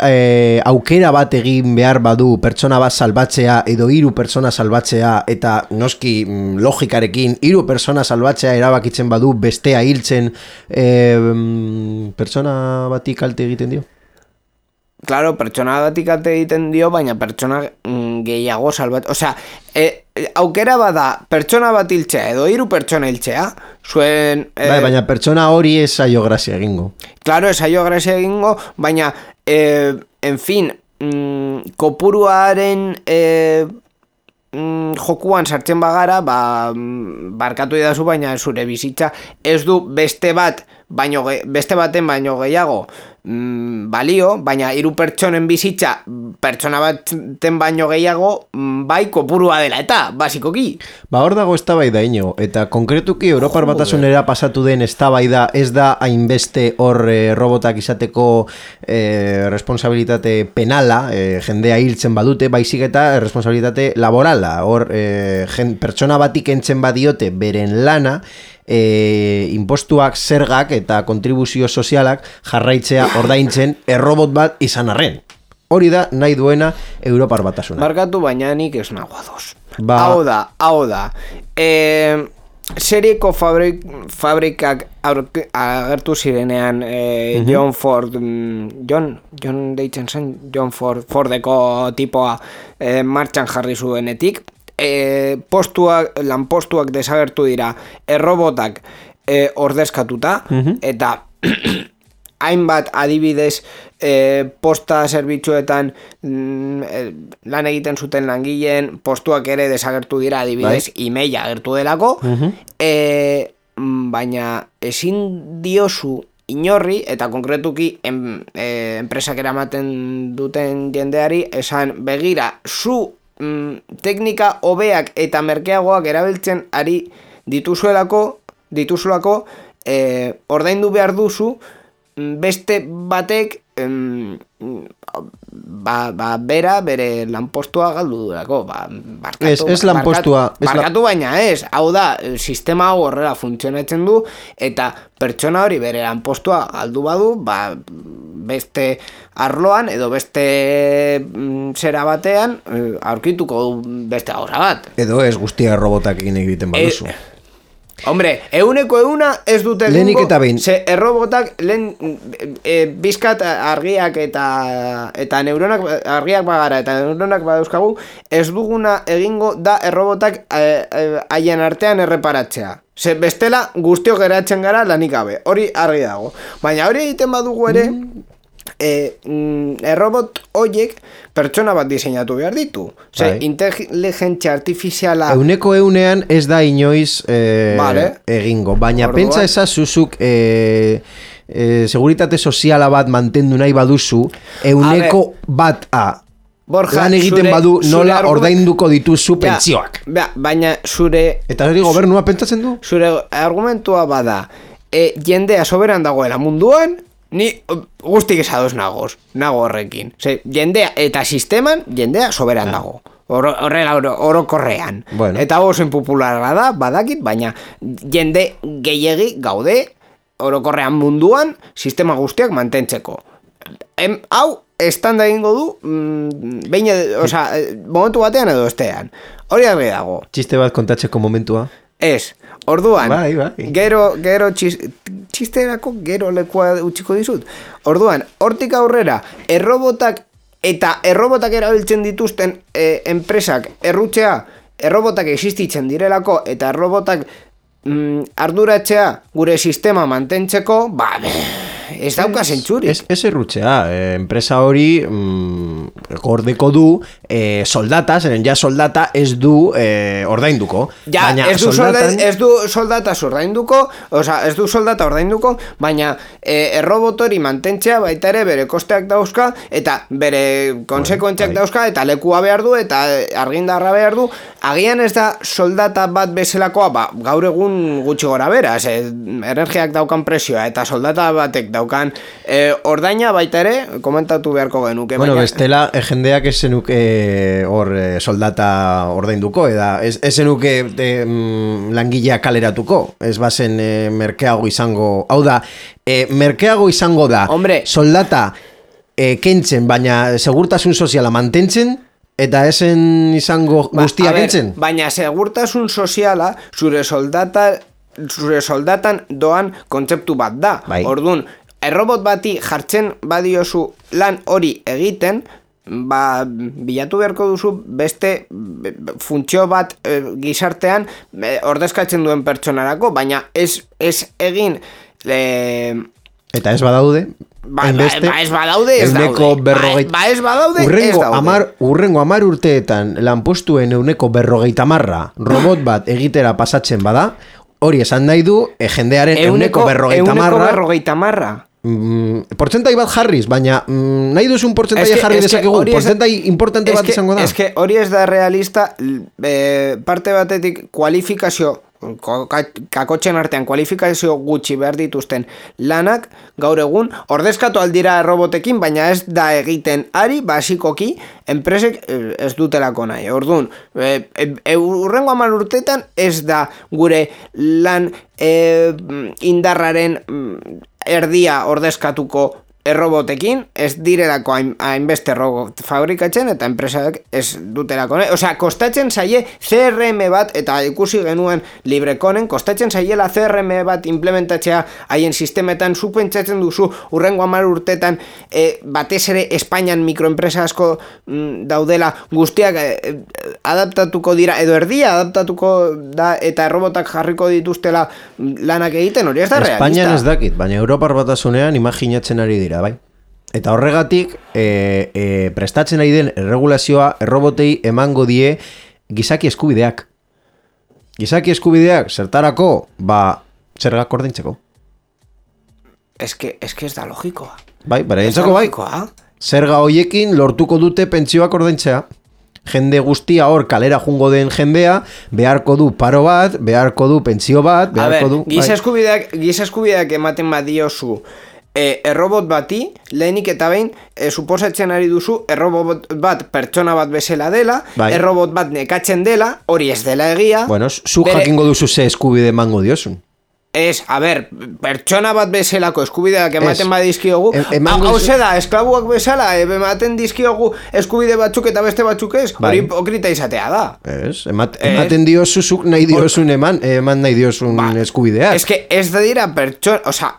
S2: aukera bat egin behar badu pertsona bat salbatzea edo 3 pertsona salbatzea eta noski logikarekin 3 pertsona salbatzea erabakitzen badu bestea hiltzen pertsona bati kalte egiten dio?
S1: Claro, pertsona batik kalte egiten dio, baina pertsona gehiago salbat... aukera bada pertsona bat hiltzea edo 3 pertsona hiltzea, zuen...
S2: baina pertsona hori ez zaio grazia egingo.
S1: Claro, ez zaio grazia egingo, baina, en fin, kopuruaren jokuan sartzen bagara, barkatu idazu, baina zure bizitza ez du beste baten baino gehiago balio, baina 3 pertsonen bizitza pertsona baten baino gehiago bai kopurua dela eta, basikoki.
S2: Hor dago eztabaida ino, eta konkretuki Europar Batasunera pasatu den eztabaida ez da hainbeste hor robotak izateko responsabilitate penala, jendea hiltzen badute, baizik eta responsabilitate laborala, hor pertsona batik entzen badiote beren lana, impostuak, zergak eta kontribuzio sozialak jarraitzea ordaintzen errobot bat izan arren. Hori da nahi duena Europar Batasuna.
S1: Barkatu, baina nik ez nago ados. Hau da. serieko fabrikak agertu zirenean John Ford, John deitzen zen, John Fordeko tipoa martxan jarri zuenetik, lanpostuak desagertu dira errobotak ordezkatuta, eta hainbat adibidez posta zerbitzuetan lan egiten zuten langileen postuak ere desagertu dira, adibidez emaila agertu delako, baina ezin diozu inorri, eta konkretuki enpresak eramaten duten jendeari, esan begira, zu teknika hobeak eta merkeagoak erabiltzen ari dituzulako, ordaindu behar duzu, beste batek bere lanpostua galdu durako, barkatu baina ez, hau da, sistema hau horrela funtzionatzen du, eta pertsona hori bere lanpostua galdu badu, beste arloan edo beste zera batean aurkituko du beste gauza bat.
S2: Edo ez guztia robotak egiten baduzu.
S1: Hombre, 100% ez dute
S2: lehenik eta behin.
S1: Ze errobotak bizkat argiak eta neuronak argiak bagara eta neuronak badauzkagu, ez duguna egingo da errobotak haien artean erreparatzea. Ze bestela guztiok geratzen gara lanik gabe, hori argi dago. Baina hori egiten badugu ere, errobot horiek pertsona bat diseinatu behar ditu. Inteligentzia artifiziala
S2: 100% ez da inoiz egingo, baina pentsa ezazuzuk seguritate soziala bat mantendu nahi baduzu, 100% Borja, lan egiten badu nola ordainduko dituzu pentsioak.
S1: Baina zure...
S2: Eta hori gobernua pentsatzen du?
S1: Zure argumentua bada, jendea soberan dagoela munduan, ni guztik esadoz nago horrekin. Jendea eta sisteman, jendea soberan dago. Horrela orokorrean.
S2: Bueno.
S1: Eta oso impopularra da, badakit, baina jende gehiegi gaude orokorrean munduan sistema guztiak mantentzeko. Hau, estanda egingo du, momentu batean edo estean. Hori argi dago.
S2: Txiste bat kontatzeko momentua?
S1: Ez. Orduan,
S2: bai.
S1: Gero txisterako gero lekua utziko dizut. Orduan, hortik aurrera, errobotak erabiltzen dituzten enpresak errobotak existitzen direlako, eta errobotak arduratzea gure sistema mantentzeko, ez dauka zentzurik.
S2: Ez errutzea, enpresa hori gordeko du soldata, zeren ja soldata ez du ordainduko.
S1: Ja, ez du soldata ordainduko, baina errobotori mantentzea baita ere bere kosteak dauzka, eta bere konsekuentziak dauzka, eta lekua behar du, eta argindarra behar du. Agian ez da soldata bat bezalakoa, gaur egun gutxi gora bera, energiak daukan presioa, eta soldata batek daukan ordaina baita ere, komentatu beharko genuke.
S2: Bueno, bestela, jendeak ez zenuke soldata ordainduko, ez zenuke langilea kaleratuko, ez bazen merkeago izango, hau da, merkeago izango da, soldata kentzen, baina segurtasun soziala mantentzen, eta esen izango guztia kentzen?
S1: Baina segurtasun soziala zure soldatan doan kontzeptu bat da. Orduan, errobot bati jartzen badiozu lan hori egiten, bilatu beharko duzu beste funtzio bat gizartean ordezkatzen duen pertsonarako, baina ez egin...
S2: Eta ez badaude?
S1: Ez badaude, ez daude. Ez badaude, ez daude.
S2: Urrengo 10 urteetan lanpostuen 150 robot bat egitera pasatzen bada, hori esan nahi du jendearen
S1: 150.
S2: Portzentai bat jarriz, baina nahi duzun portzentai jarri dezakegu, portzentai importante bat izango da.
S1: Hori ez da realista, parte batetik kualifikazio, kakotxen artean kualifikazio gutxi behar dituzten lanak, gaur egun, ordezkatu aldira robotekin, baina ez da egiten ari, basikoki, enpresek ez dutelako nahi. Orduan, urrengo 10 urtetan ez da gure lan indarraren erdia ordezkatuko errobotekin ez direlako hainbeste robot fabrikatzen eta enpresak ez dutelako. Osea, kostatzen zaie CRM bat, eta ikusi genuen Libreconen, kostatzen zaiela CRM bat implementatzea haien sistemetan, zu pentsatzen duzu urrengo 10 urtetan batez ere Espainian mikroenpresa asko daudela, guztiak adaptatuko dira, edo erdia adaptatuko da, eta robotak jarriko dituztela lanak egiten, hori ez da realista.
S2: Espainian ez dakit, baina Europar Batasunean imaginatzen ari dira. Bai. Eta horregatik prestatzen ari den erregulazioa errobotei emango die gizaki eskubideak. Gizaki eskubideak zertarako, zergak ordaintzeko.
S1: Ez que ez da logikoa.
S2: Bai, entzako bai. Zerga hoiekin lortuko dute pentsioak ordaintzea. Jende guztia hor kalera jungo den jendea, beharko du paro bat, beharko du pentsio bat, beharko du...
S1: Giza eskubideak ematen badiozu errobot bati, lehenik eta behin suposatzen ari duzu errobot bat pertsona bat bezala dela, errobot bat nekatzen dela, hori ez dela egia.
S2: Bueno, zu jakingo duzu ze eskubide emango diozun.
S1: Ez, pertsona bat bezalako eskubideak ematen badizkiogu, hauze da, esklabuak bezala ematen dizkiogu eskubide batzuk eta beste batzuk ez, hori hipokrita izatea da.
S2: Ez, ematen diozuzuk nahi diozun eman nahi diozun eskubideak.
S1: Ez que ez da dira pertsona, oza,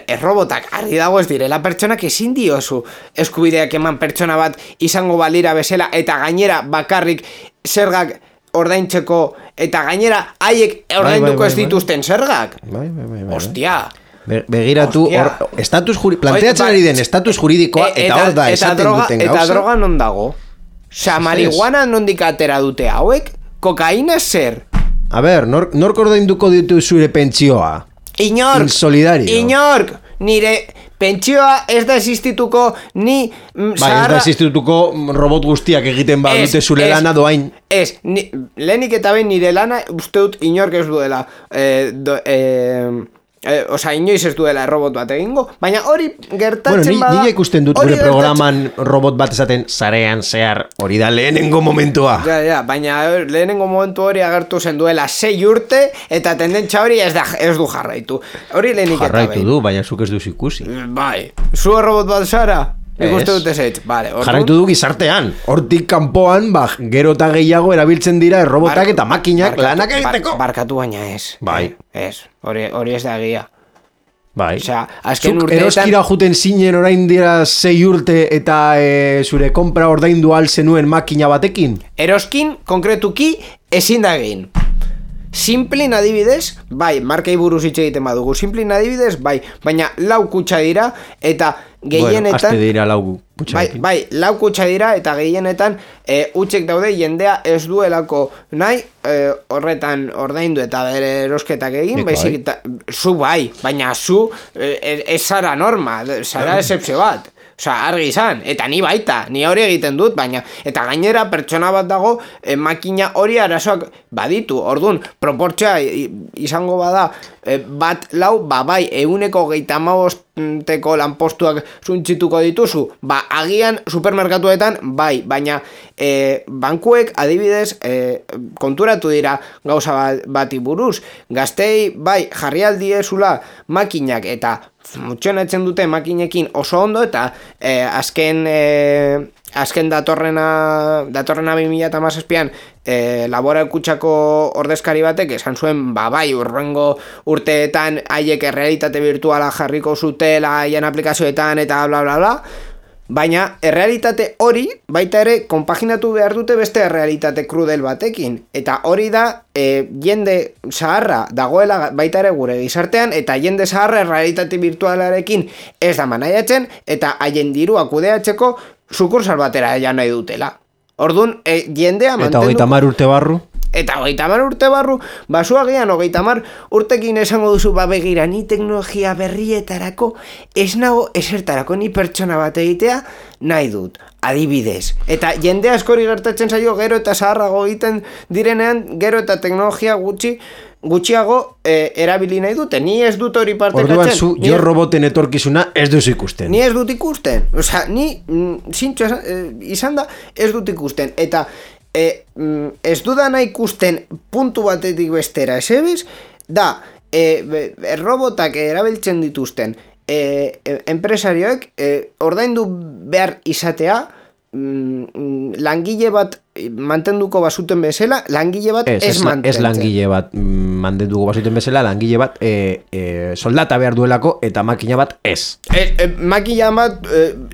S1: errobotak argi dago ez direla pertsonak ezin diozu eskubideak eman pertsona bat izango balira bezala eta gainera bakarrik zergak ordaintzeko eta gainera haiek ordainduko ez dituzten zergak. Ostia.
S2: Begiratu, planteatzen ari den estatus juridikoa eta hor da esaten duten gauza.
S1: Eta droga non dago? Osa, marihuana nondik atera dute hauek? Kokaina zer?
S2: Nork ordainduko ditu zure pentsioa?
S1: Inork, nire pentsioa ez da existituko ni
S2: ez da existituko robot guztiak egiten badute zure lana doain.
S1: Lehenik eta behin nire lana uste dut inork ez duela inoiz ez duela robot bat egingo, baina hori gertatzen bada...
S2: Nire ikusten dut gure programan robot bat esaten zarean zehar, hori da lehenengo momentua.
S1: Baina lehenengo momentu hori agertu zen duela 6 urte, eta tendentza hori ez du jarraitu. Hori lehenik eta behin.
S2: Jarraitu du, baina zuk ez duz ikusi.
S1: Bai, zu robot bat zara? Ikuste dut ez.
S2: Jarraitu du gizartean. Hortik kanpoan, gero eta gehiago erabiltzen dira robotak eta makinak lanak egiteko.
S1: Barkatu baina ez.
S2: Bai.
S1: Ez, hori ez da egia.
S2: Bai.
S1: Zuk
S2: eroskira juten zinen orain dira 6 urte eta zure kompra ordaindu al zenuen makina batekin?
S1: Eroskin, konkretuki, ezin da egin. Simplin adibidez, markei buruz hitz egiten badugu, Simplin adibidez, baina 4 kutxa dira eta gehienetan...
S2: Aste dira 4 kutxa.
S1: Bai, 4 kutxa dira eta gehienetan hutsek daude jendea ez duelako nahi horretan ordaindu eta bere erosketak egin, baizik zu baina zu ez zara norma, zara excepzio bat. Osa, argi izan, eta ni baita, ni hori egiten dut, baina, eta gainera pertsona bat dago, makina hori arazoak baditu, orduan, proportzia izango bada, bat lau, bai, 125 lanpostuak zuntxituko dituzu, agian supermerkatuetan, bai, baina bankuek adibidez konturatu dira gauza bati buruz, gaztei, jarri aldiezula makinak eta funtzionatzen dute makinekin oso ondo eta azken datorrena 2017an Laboral Kutxako ordezkari batek esan zuen urrengo urteetan haiek errealitate virtuala jarriko zutela haien aplikazioetan eta bla bla bla. Baina errealitate hori baita ere konpaginatu behar dute beste errealitate krudel batekin. Eta hori da jende zaharra dagoela baita ere gure gizartean eta jende zaharra errealitate virtualarekin ez da manaiatzen eta haien dirua kudeatzeko sukursal batera nahi dutela. Orduan jendea mantendu...
S2: Eta 30 urte barru?
S1: Eta 30 urte barru, basuagian 30 urtekin esango duzu begira ni teknologia berrietarako ez nago esertarako ni pertsona bat egitea nahi dut, adibidez. Eta jende askori gertatzen zaio gero eta zaharrago egiten direnean gero eta teknologia gutxiago erabili nahi dute. Ni ez dut hori partekatzen.
S2: Orduan zu, jo roboten etorkizuna ez duzu ikusten.
S1: Ni ez dut ikusten. Osea, ni zintxo izan da ez dut ikusten. Eta ez dudana ikusten puntu batetik bestera esebez, da robotak erabiltzen dituzten enpresarioek ordaindu behar izatea langile bat mantenduko bazuten bezala, langile bat ez mantentzen.
S2: Ez langile bat mantenduko bazuten bezala, langile bat soldata behar duelako eta makina bat ez.
S1: Makina bat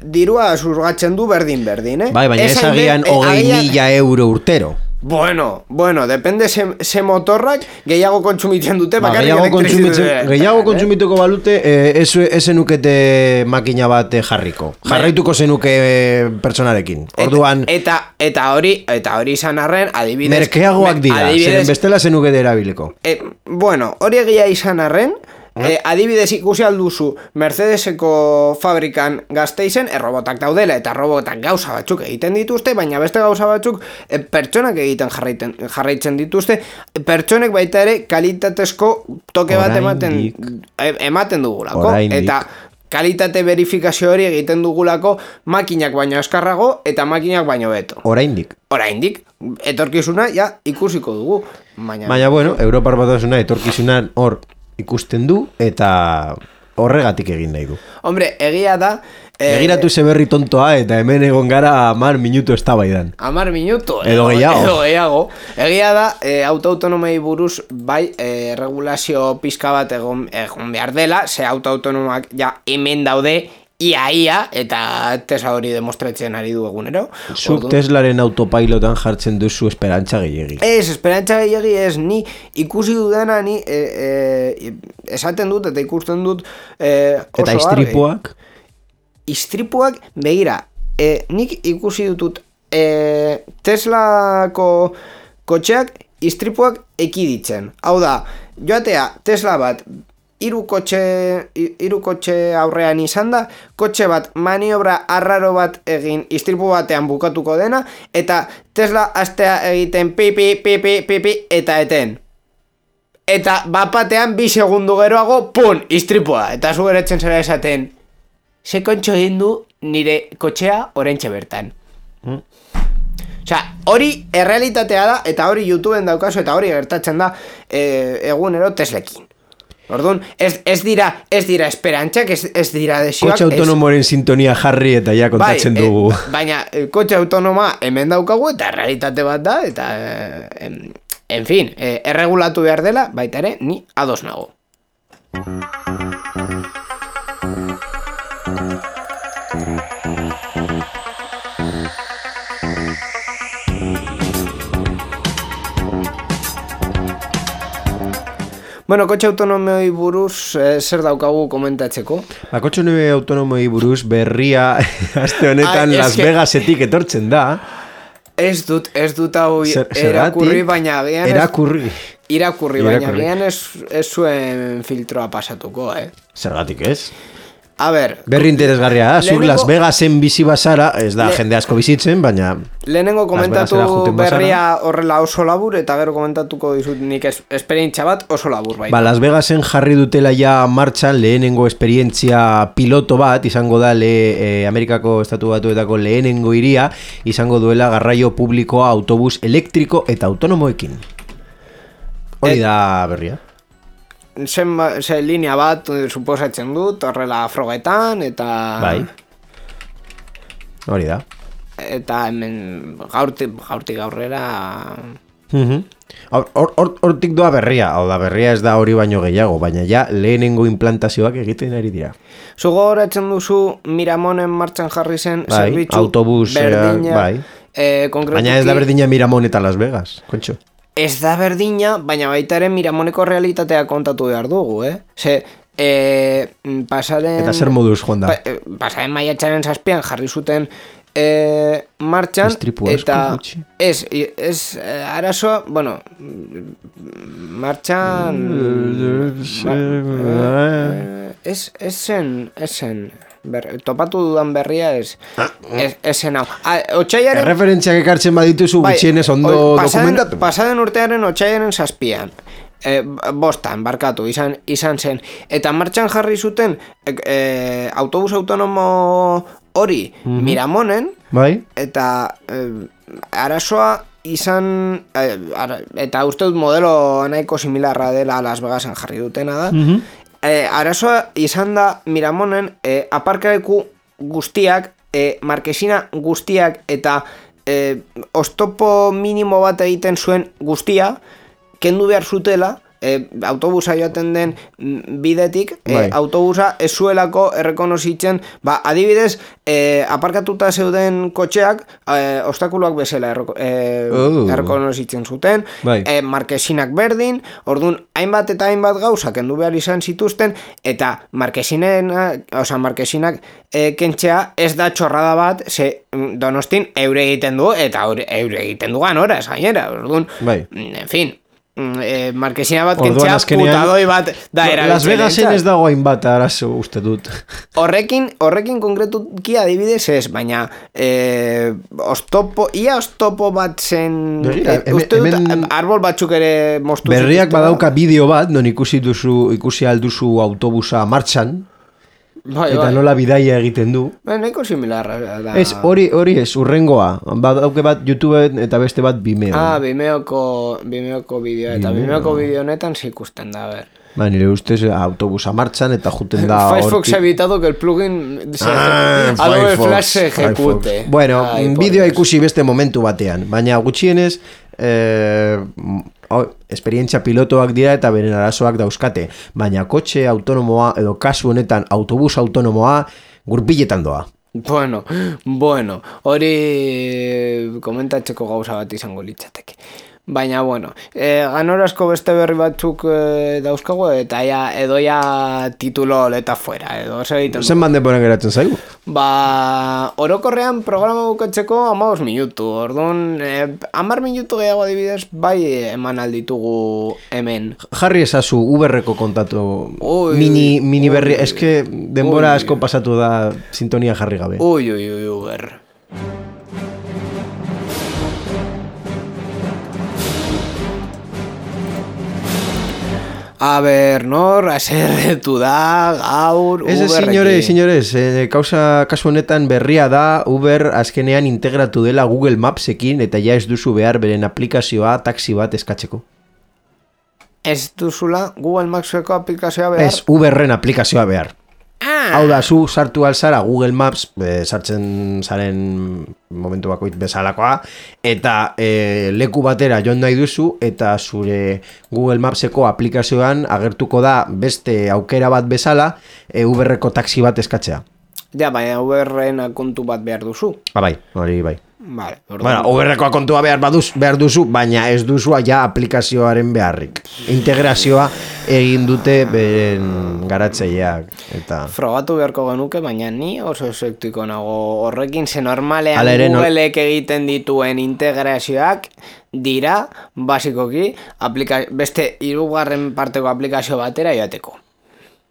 S1: dirua zurgatzen du berdin,
S2: Bai, baina ez agian 20.000 euro urtero.
S1: Bueno, depende ze motorrak gehiago kontsumitzen dute.
S2: Gehiago kontsumituko balute, ez zenukete makina bat jarriko. Jarraituko zenuke personarekin. Orduan...
S1: Eta hori izan arren, adibidez...
S2: Merkeagoak dira, zeren bestela zenukete erabileko.
S1: Bueno, hori egia izan arren... adibidez ikusi alduzu Mercedeseko fabrikan Gasteizen errobotak daudela eta robotak gauza batzuk egiten dituzte, baina beste gauza batzuk pertsonak egiten jarraitzen dituzte, pertsonek baita ere kalitatezko toke bat ematen dugulako. Eta kalitate verifikazio hori egiten dugulako makinak baino eskarrago eta makinak baino beto. Oraindik, etorkizuna ja ikusiko dugu.
S2: Baina bueno, Europar Batasuna etorkizunan hor ikusten du eta horregatik egin nahi du.
S1: Hombre, egia da...
S2: Egiratu ze berri tontoa eta hemen egon gara 10 minutu eztabaidan.
S1: 10 minutu?
S2: Edo gehiago.
S1: Egia da, autoautonomei buruz bai regulazio pizka bat egon behar dela, ze autoautonomak ja hemen daude, ia, eta Tesla hori demostratzen ari du egunero.
S2: Zuk Teslaren autopilotan jartzen duzu esperantza gehiegi.
S1: Esperantza gehiegi ez, ni ikusi dudana, ni esaten dut eta ikusten dut oso
S2: eta istripuak?
S1: Istripuak, begira, nik ikusi dutut Teslako kotxeak istripuak ekiditzen. Hau da, joatea Tesla bat hiru kotxe aurrean izan da, kotxe bat maniobra arraro bat egin istripu batean bukatuko dena, eta Tesla astea egiten pipi, eta eten. Eta bapatean 2 segundu geroago, pun, istripua. Eta zu geretzen zera esaten, ze kontxo egin du nire kotxea oraintxe bertan. Osea, hori errealitatea da, eta hori YouTubeen daukazu, eta hori gertatzen da egunero Teslekin. Orduan, ez dira esperantzak, ez dira desioak.
S2: Kotxe autonomoren sintonia jarri eta ja kontatzen dugu.
S1: Baina, kotxe autonoma hemen daukagu eta realitate bat da, eta, en fin, erregulatu behar dela, baita ere, ni ados nago. Bueno, kotxe autonomoi buruz zer daukagu komentatzeko?
S2: Kotxe autonomoi buruz berria aste honetan Las Vegasetik etortzen da.
S1: Ez dut hau irakurri, baina agian... Irakurri, baina agian ez zuen filtroa pasatuko,
S2: Zergatik ez?
S1: A ber...
S2: Berri interesgarria da, zuk Las Vegasen bizi bazara, ez da jende asko bizitzen, baina...
S1: Lehenengo komentatu berria horrela oso labur, eta gero komentatuko dizut nik esperientzia bat oso labur baita.
S2: Las Vegasen jarri dutela ja martxan lehenengo esperientzia piloto bat, izango da Amerikako estatu batuetako lehenengo hiria, izango duela garraio publikoa autobus elektriko eta autonomoekin. Hori da berria.
S1: Ze linea bat suposatzen dut, horrela frogetan, eta...
S2: Bai. Hori da.
S1: Eta hemen gaurtik aurrera...
S2: Hortik doa berria, hau da berria ez da hori baino gehiago, baina ja lehenengo implantazioak egiten ari dira.
S1: Zugo horatzen duzu Miramonen martxan jarri zen zerbitzu
S2: autobus,
S1: berdina,
S2: bai. Baina ez da berdina Miramon eta Las Vegas, kontxo.
S1: Ez da berdina, baina baitaren Miramoneko realitatea kontatu behar dugu, Ze, pasaren...
S2: Eta zer moduz, joan da?
S1: Pasaren maiatzaren 7 jarri zuten martxan, eta ez arazoa, bueno, martxan... Ez zen... topatu dudan berria esen hau.
S2: Erreferentziak ekartzen badituzu gutxienez ondo dokumentatu.
S1: Pasaden urtearen otsailaren 7. Bostan, barkatu, izan zen. Eta martxan jarri zuten autobus autonomo hori Miramonen, eta arazoa izan, eta uste dut modelo nahiko similarra dela Las Vegasen jarri dutena da, arazoa izan da Miramonen aparkaleku guztiak, markesina guztiak eta oztopo minimo bat egiten zuen guztia kendu behar zutela, autobusa joaten den bidetik, autobusa ez zuelako errekonozitzen, adibidez, aparkatuta zeuden kotxeak, obstakuluak bezala errekonozitzen zuten, markesinak berdin, orduan, hainbat eta hainbat gauza kendu behar izan zituzten, eta markesinak kentzea ez da txorrada bat, ze Donostin eure egiten du, eta eure egiten du ganora, ez gainera, orduan, en fin, markesina bat kentzea putadoi bat da erabiltzen.
S2: Las Vegasen ez dago hainbat arazo uste dut.
S1: Horrekin konkretuki adibidez ez, baina oztopo bat zen, uste dut arbol batzuk ere moztu.
S2: Berriak badauka bideo bat, non ikusi alduzu autobusa martxan, eta nola bidaia egiten du.
S1: Nahiko similarra da.
S2: Ez, hori ez, urrengoa. Badauke bat YouTubeen eta beste bat Vimeo.
S1: Vimeoko bideoa. Eta Vimeoko bideo honetan ikusten da, ber.
S2: Nire ustez autobusa martxan eta juten da...
S1: Firefox ha evitado que el plugin Adobe Flash se ejecute.
S2: Bueno, bideoa ikusi beste momentu batean. Baina gutxienez... esperientzia pilotoak dira eta beren arazoak dauzkate, baina kotxe autonomoa edo kasu honetan autobus autonomoa gurpiletan doa.
S1: Bueno, hori komentatzeko gauza bat izango litzateke. Baina, ganorazko beste berri batzuk dauzkago eta edoia titulo leta fuera.
S2: Zen bande ponen geratzen zaigu?
S1: Orokorrean programa bukatzeko 15 minutu. Orduan, 10 minutu gehiago adibidez, bai eman alditugu hemen.
S2: Jarri ezazu Uberreko kontatu mini berri, eske denbora asko pasatu da sintonia jarri gabe.
S1: Uber. A ber, nor, aserretu da, gaur, Uberrekin.
S2: Señores, kasu honetan berria da, Uber azkenean integratu dela Google Mapsekin eta ja ez duzu behar beren aplikazioa taxi bat eskatzeko.
S1: Ez duzula Google Mapseko aplikazioa behar?
S2: Ez, Uberren aplikazioa behar. Hau da, zu sartu alzara Google Maps, sartzen zaren momentu bakoit bezalakoa, eta leku batera joan nahi duzu, eta zure Google Mapseko aplikazioan agertuko da beste aukera bat bezala, Uberreko taxi bat eskatzea.
S1: Ja, baina Uberren kontu bat behar duzu.
S2: Bai, hori bai.
S1: Vale,
S2: Uberreko kontua behar duzu, baina ez duzua ja aplikazioaren beharrik. Integrazioa egin dute beren garatzeileak.
S1: Frogatu beharko genuke, baina ni oso esektiko nago horrekin, ze normalean Googleek egiten dituen integrazioak dira, basikoki, beste 3. parteko aplikazio batera joateko.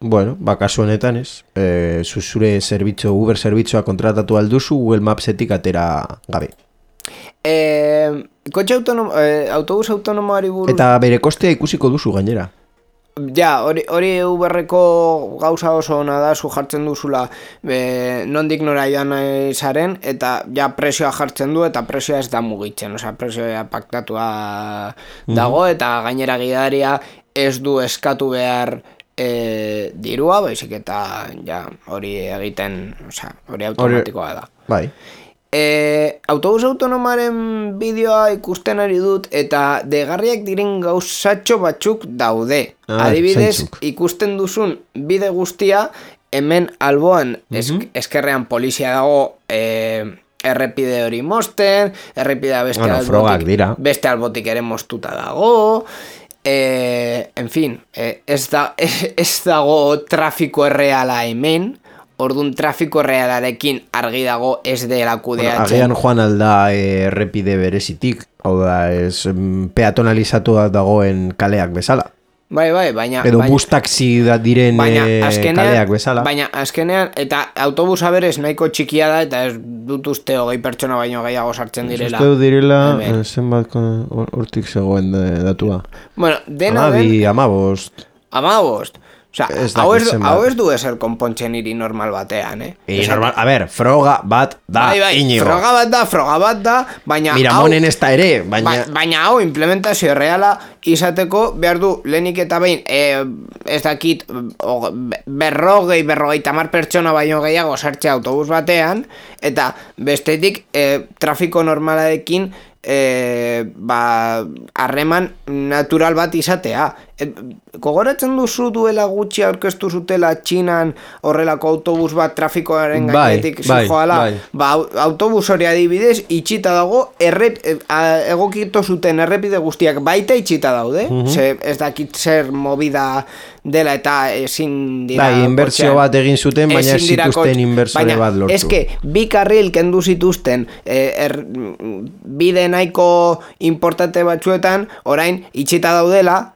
S2: Bueno, kasu honetan ez. Zure Uber zerbitzua kontratatu alduzu Google Mapsetik atera gabe.
S1: Kotxe autobus autonomoari buruz...
S2: Eta bere kostea ikusiko duzu gainera.
S1: Ja, hori Uberreko gauza oso ona da, zu jartzen duzula nondik nora joan zaren, eta ja presioa jartzen du, eta presioa ez da mugitzen, presioa paktatua dago, eta gainera gidaria ez du eskatu behar dirua, baizik eta hori egiten, hori automatikoa da.
S2: Bai.
S1: Autobus autonomaren bideoa ikusten ari dut eta degarriak diren gauzatxo batzuk daude. Adibidez, ikusten duzun bide guztia, hemen alboan eskerrean polizia dago errepide hori mosten, errepidea beste albotik ere mostuta dago. En fin, ez dago trafiko erreala hemen, orduan trafiko errealarekin argi dago ez dela kudeatzen.
S2: Agian joan alda errepide berezitik, hau da, ez peatonalizatu dagoen kaleak bezala.
S1: Bai, baina...
S2: Edo bus taxi da diren kaleak bezala.
S1: Baina azkenean, eta autobusa berez nahiko txikia da, eta ez dut uste 20 pertsona baino gehiago sartzen direla.
S2: Uste direla, zenbat hortik zegoen datua.
S1: Bueno, dena den...
S2: 15.
S1: 15. Osea, hau ez du eser konpontzen hiri normal batean,
S2: Normal, a ver, froga bat da, Iñigo.
S1: Froga bat da, baina
S2: Miramonen ez da ere,
S1: baina hau implementazio reala izateko behar du lehenik eta behin ez dakit 50 pertsona baino gehiago sartzea autobus batean, eta bestetik trafiko normalarekin harreman natural bat izatea. Gogoratzen duzu duela gutxi aurkeztu zutela Txinan horrelako autobus bat trafikoaren gainetik zijoala, autobus hori adibidez itxita dago, egokito zuten errepide guztiak baita itxita daude, ez dakit zer movida dela eta ezin dira
S2: inbertsio bat egin zuten, baina ez zituzten inbertsore bat lortu.
S1: Eske, bi karril kendu zituzten bide nahiko importante batzuetan, orain itxita daudela,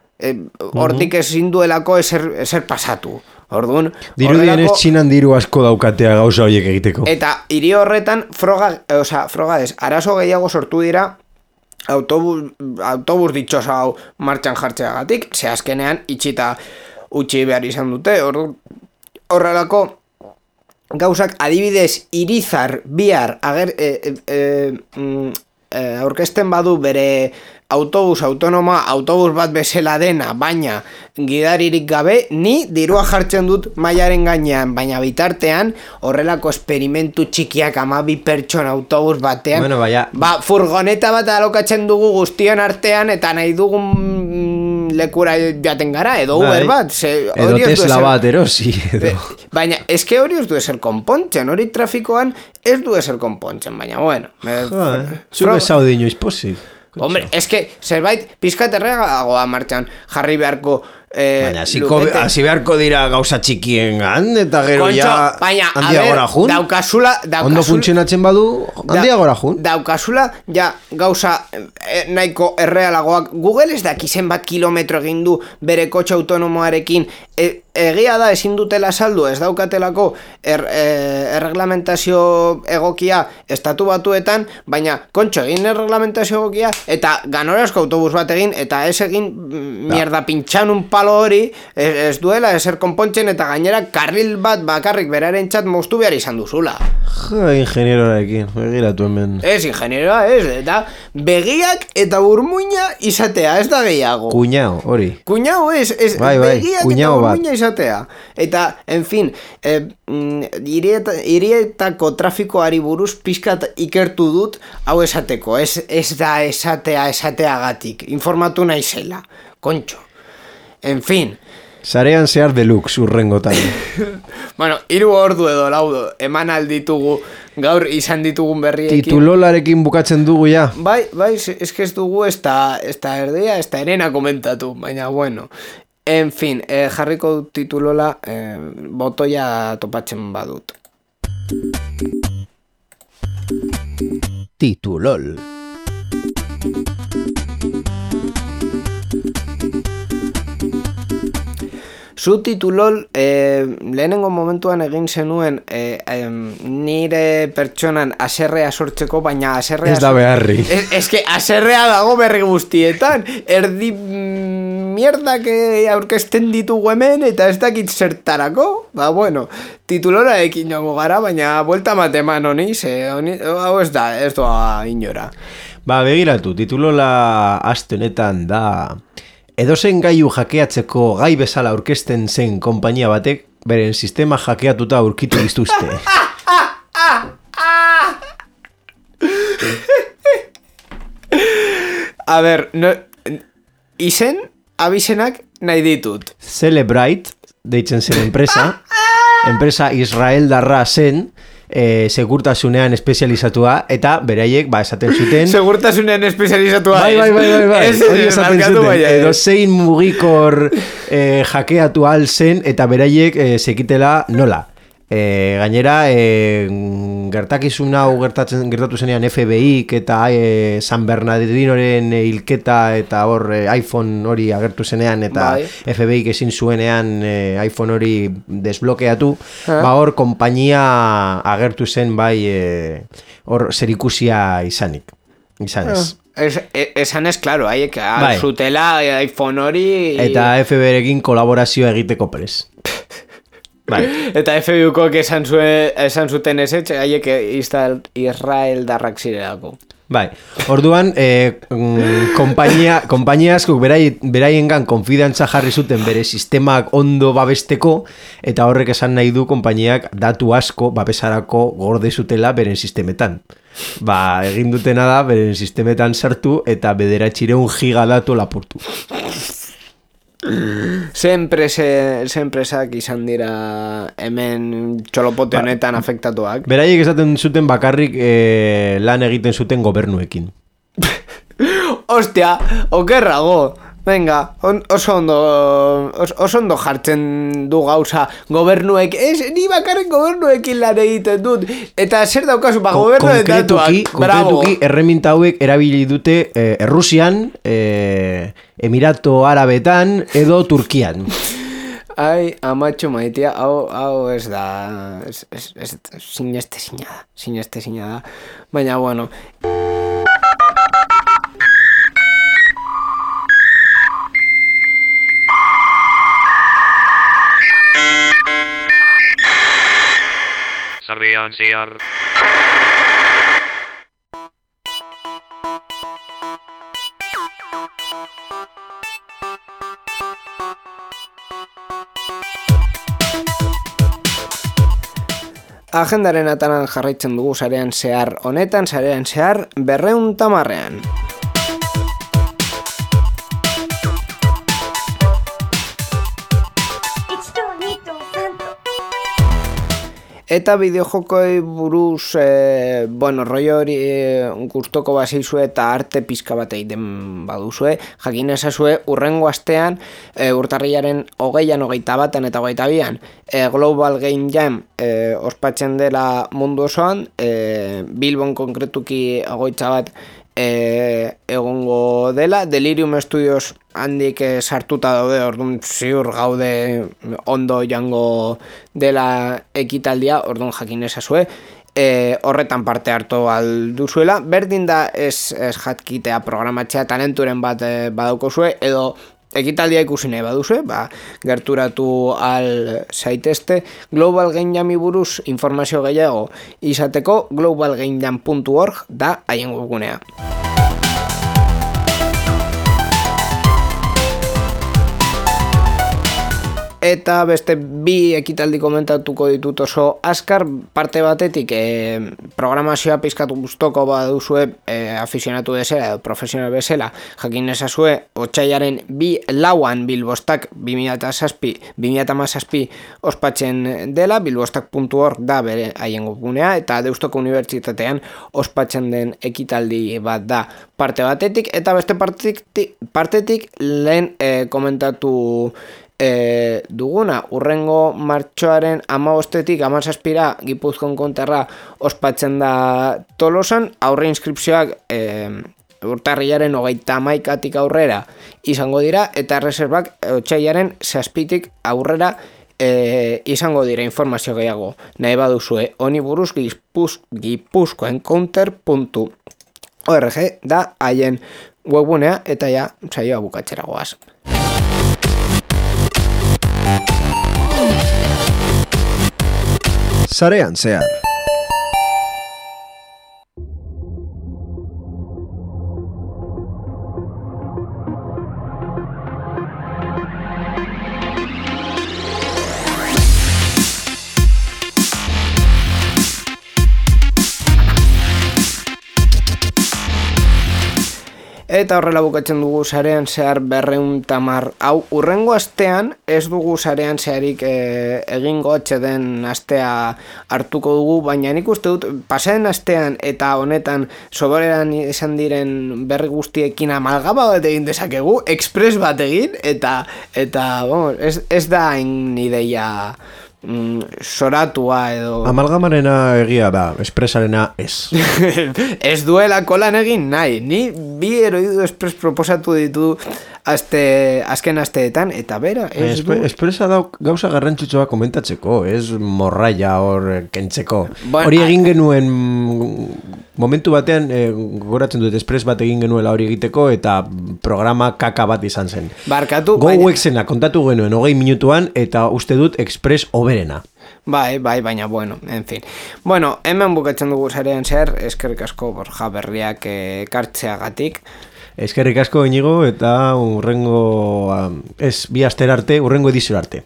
S1: hortik ezin duelako ezer pasatu. Orduan,
S2: dirudienez Txinan diru asko daukatea gauza horiek egiteko.
S1: Eta hiri horretan arazo gehiago sortu dira autobus ditxosa hau martxan jartzeagatik, ze azkenean itxita utzi behar izan dute. Horrelako gauzak adibidez Irizar bihar aurkezten badu bere autobus bat bezala dena, baina gidaririk gabe, ni dirua jartzen dut mailaren gainean, baina bitartean horrelako esperimentu txikiak 12 pertsona autobus batean, furgoneta bat alokatzen dugu guztion artean eta nahi dugun lekura jaten gara, edo Uber bat,
S2: edo Tesla bat erosi,
S1: baina eske hori ez du ezer konpontzen, hori trafikoan ez du ezer konpontzen, baina bueno,
S2: zure zaude inoiz pozik.
S1: Hombre, eske zerbait pizkat erregagoa martxan jarri beharko
S2: baina hasi beharko dira gauza txikiengan eta gero handiagora jun. Ondo funtzionatzen badu handiagora jun.
S1: Daukazula gauza nahiko errealagoak. Google ez daki zenbat kilometro egin du bere kotxe autonomoarekin. Egia da ezin dutela saldu, ez daukatelako erreglamentazio egokia estatu batuetan, baina kontxo egin erreglamentazio egokia eta ganorazko autobus bat egin eta ez egin mierda pintxan un palo hori, ez duela ezer konpontzen eta gainera karril bat bakarrik beraren txat moztu behar izan duzula.
S2: Ingenieroarekin, begiratu hemen.
S1: Ez ingenieroa, eta begiak eta burmuina izatea, ez da gehiago.
S2: Kuñao, hori.
S1: Kuñao begiak eta burmuina izatea. Eta, en fin, hirietako trafikoari buruz pizkat ikertu dut hau esateko, ez da esateagatik, informatu naizela, kontxo. En fin.
S2: Sarean zehar deluxe urrengotan.
S1: Bueno, 3 ordu edo 4 eman alditugu gaur izan ditugun berriekin.
S2: Titulolarekin bukatzen dugu ja.
S1: Bai, eske ez dugu ez da erdia, ez da erena komentatu, baina bueno. En fin, jarriko dut titulola, botoia topatzen badut.
S2: Titulol.
S1: Zu titulol, lehenengo momentuan egin zenuen nire pertsonan aserrea sortzeko, baina aserrea...
S2: Ez da beharri.
S1: Eske aserrea dago berri guztietan, erdi mierdak aurkezten ditugu hemen eta ez dakit zertarako. Ba bueno, titulora ekin joango gara, baina buelta mateman honi, hau ez doa inora.
S2: Ba, begiratu, titulola aste honetan da... Edozen gailu hackeatzeko gai bezala aurkezten zen konpainia batek beren sistema hackeatuta aurkitu dituzte.
S1: A ber, izen abizenak nahi ditut.
S2: Celebrite, deitzen zen enpresa israeldarra zen, segurtasunean espezializatua eta beraiek esaten zuten
S1: segurtasunean espezializatua
S2: bai hori esaten zuten edo zein mugikor hackeatu al zen eta beraiek sekitela nola gainera gertakizun hau gertatu zenean FBI eta San Bernardinoren hilketa eta hor iPhone hori agertu zenean eta FBI ezin zuenean iPhone hori desblokeatu, hor konpainia agertu zen hor zerikusia izanez.
S1: esan ez, claro, haiek
S2: Bai.
S1: zutela iPhone hori...
S2: Eta FBrekin kolaborazioa egiteko prez. Bai.
S1: Eta FBUkoek esan zuten ez etxe, haiek Israel darrak zirelako.
S2: Bai, orduan, kompainia askok beraiengan konfidantza jarri zuten bere sistemak ondo babesteko, eta horrek esan nahi du konpainiak datu asko babesarako gorde zutela beren sistemetan. Egin dutena da, beren sistemetan sartu eta 900 giga datu lapurtu.
S1: Ze enpresak izan dira hemen txolopote honetan afektatuak.
S2: Beraiek esaten zuten bakarrik lan egiten zuten gobernuekin.
S1: Ostia, okerrago. Venga, oso ondo jartzen du gauza gobernuek. Ni bakarrik gobernuekin lan egiten dut. Eta zer daukazu, gobernu datuak.
S2: Konkretuki, erreminta hauek erabili dute Errusian, Emirato Arabetan edo Turkian.
S1: Ai, amatxo maitia, hau ez da... Sinestezina da. Baina, bueno...
S3: Sarrian zehar.
S1: Agendaren atanan jarraitzen dugu sarean zehar honetan, sarean zehar 210. Eta bideojokoi buruz, rollo hori gustoko baseizue eta arte pizka bat egiten baduzue, jakin ezazue urrengo astean, urtarrilaren 20an, 21an eta 22an, Global Game Jam ospatzen dela mundu osoan, Bilbon konkretuki egoitza bat egongo dela, Delirium Studios handik sartuta daude, orduan ziur gaude ondo jango dela ekitaldia, orduan jakin ezazue, horretan parte hartu alduzuela, berdin da ez jatkitea programatzea talenturen bat badaukozue, edo ekitaldia ikusi nahi baduzue, gerturatu al zaitezte. Global Game Jami buruz informazio gehiago izateko globalgamejam.org da haien webgunea. Eta beste bi ekitaldi komentatuko ditut oso azkar, parte batetik programazioa pizkatu guztoko baduzue afizionatu bezala edo profesional bezala, jakin ezazue otsailaren 2-an Bilbostak 2017 ospatzen dela, bilbostak.org da bere haien webgunea, eta Deustoko Unibertsitatean ospatzen den ekitaldi bat da parte batetik, eta beste partetik lehen komentatu duguna, urrengo martxoaren 15-tik 17-ra Gipuzkoan konterra ospatzen da Tolosan, aurre inskripzioak urtarrilaren 31-tik aurrera izango dira, eta reservak otsailaren 7-tik aurrera izango dira. Informazio gehiago nahi baduzue honi buruz gipuzkoencounter.org da haien webgunea, eta ja saioa bukatzera goaz.
S2: Sarean zehar.
S1: Eta horrela bukatzen dugu sarean zehar 210. Hau, urrengo astean ez dugu sarean zeharik egingo den astea hartuko dugu, baina nik uste dut pasaren astean eta honetan soberan izan diren berri guztiekin amalgama bat egin dezakegu, express bat egin, eta ez da hain ideia soratua edo...
S2: Amalgamarena egia da, espresarena ez.
S1: Ez duelako lan egin nahi. Ni bi heroidu espres proposatu ditu azken asteetan, eta bera, ez du...
S2: Espresa dauk gauza garrantzitsua komentatzeko, ez morraia hor kentzeko.
S1: Bueno,
S2: hori egin genuen momentu batean, gogoratzen dut, espres bat egin genuela hori egiteko, eta programa kaka bat izan zen.
S1: Barkatu...
S2: Go zena kontatu genuen 20 minutuan, eta uste dut Express oberena.
S1: Bai, baina, bueno, en fin. Bueno, hemen bukatzen dugu zarean zer, eskerrik asko Borja Berriak ekartzeagatik.
S2: Eskerrik asko Inigo, eta urrengo, bi aster arte, urrengo edizio arte.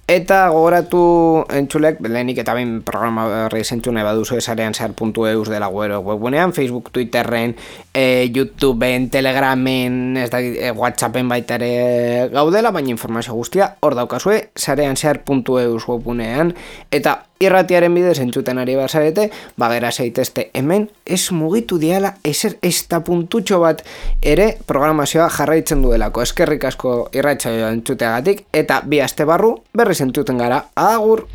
S1: Eta gogoratu entzulek, lehenik eta bain programa berri zentzune baduzu esarean zehar.eus dela webgunean, Facebook, Twitterren, YouTubeen, Telegramen, Whatsappen baita ere gaudela, baina informazio guztia hor daukazue, zarean zehar.eus webgunean, eta irratiaren bidez entzuten ari bazarete, bagera zeitezte hemen, ez mugitu diala, ezer ez da puntutxo bat ere programazioa jarraitzen duelako. Eskerrik asko irratsaioa entzuteagatik, eta bi aste barru berriz entzuten gara. Agur!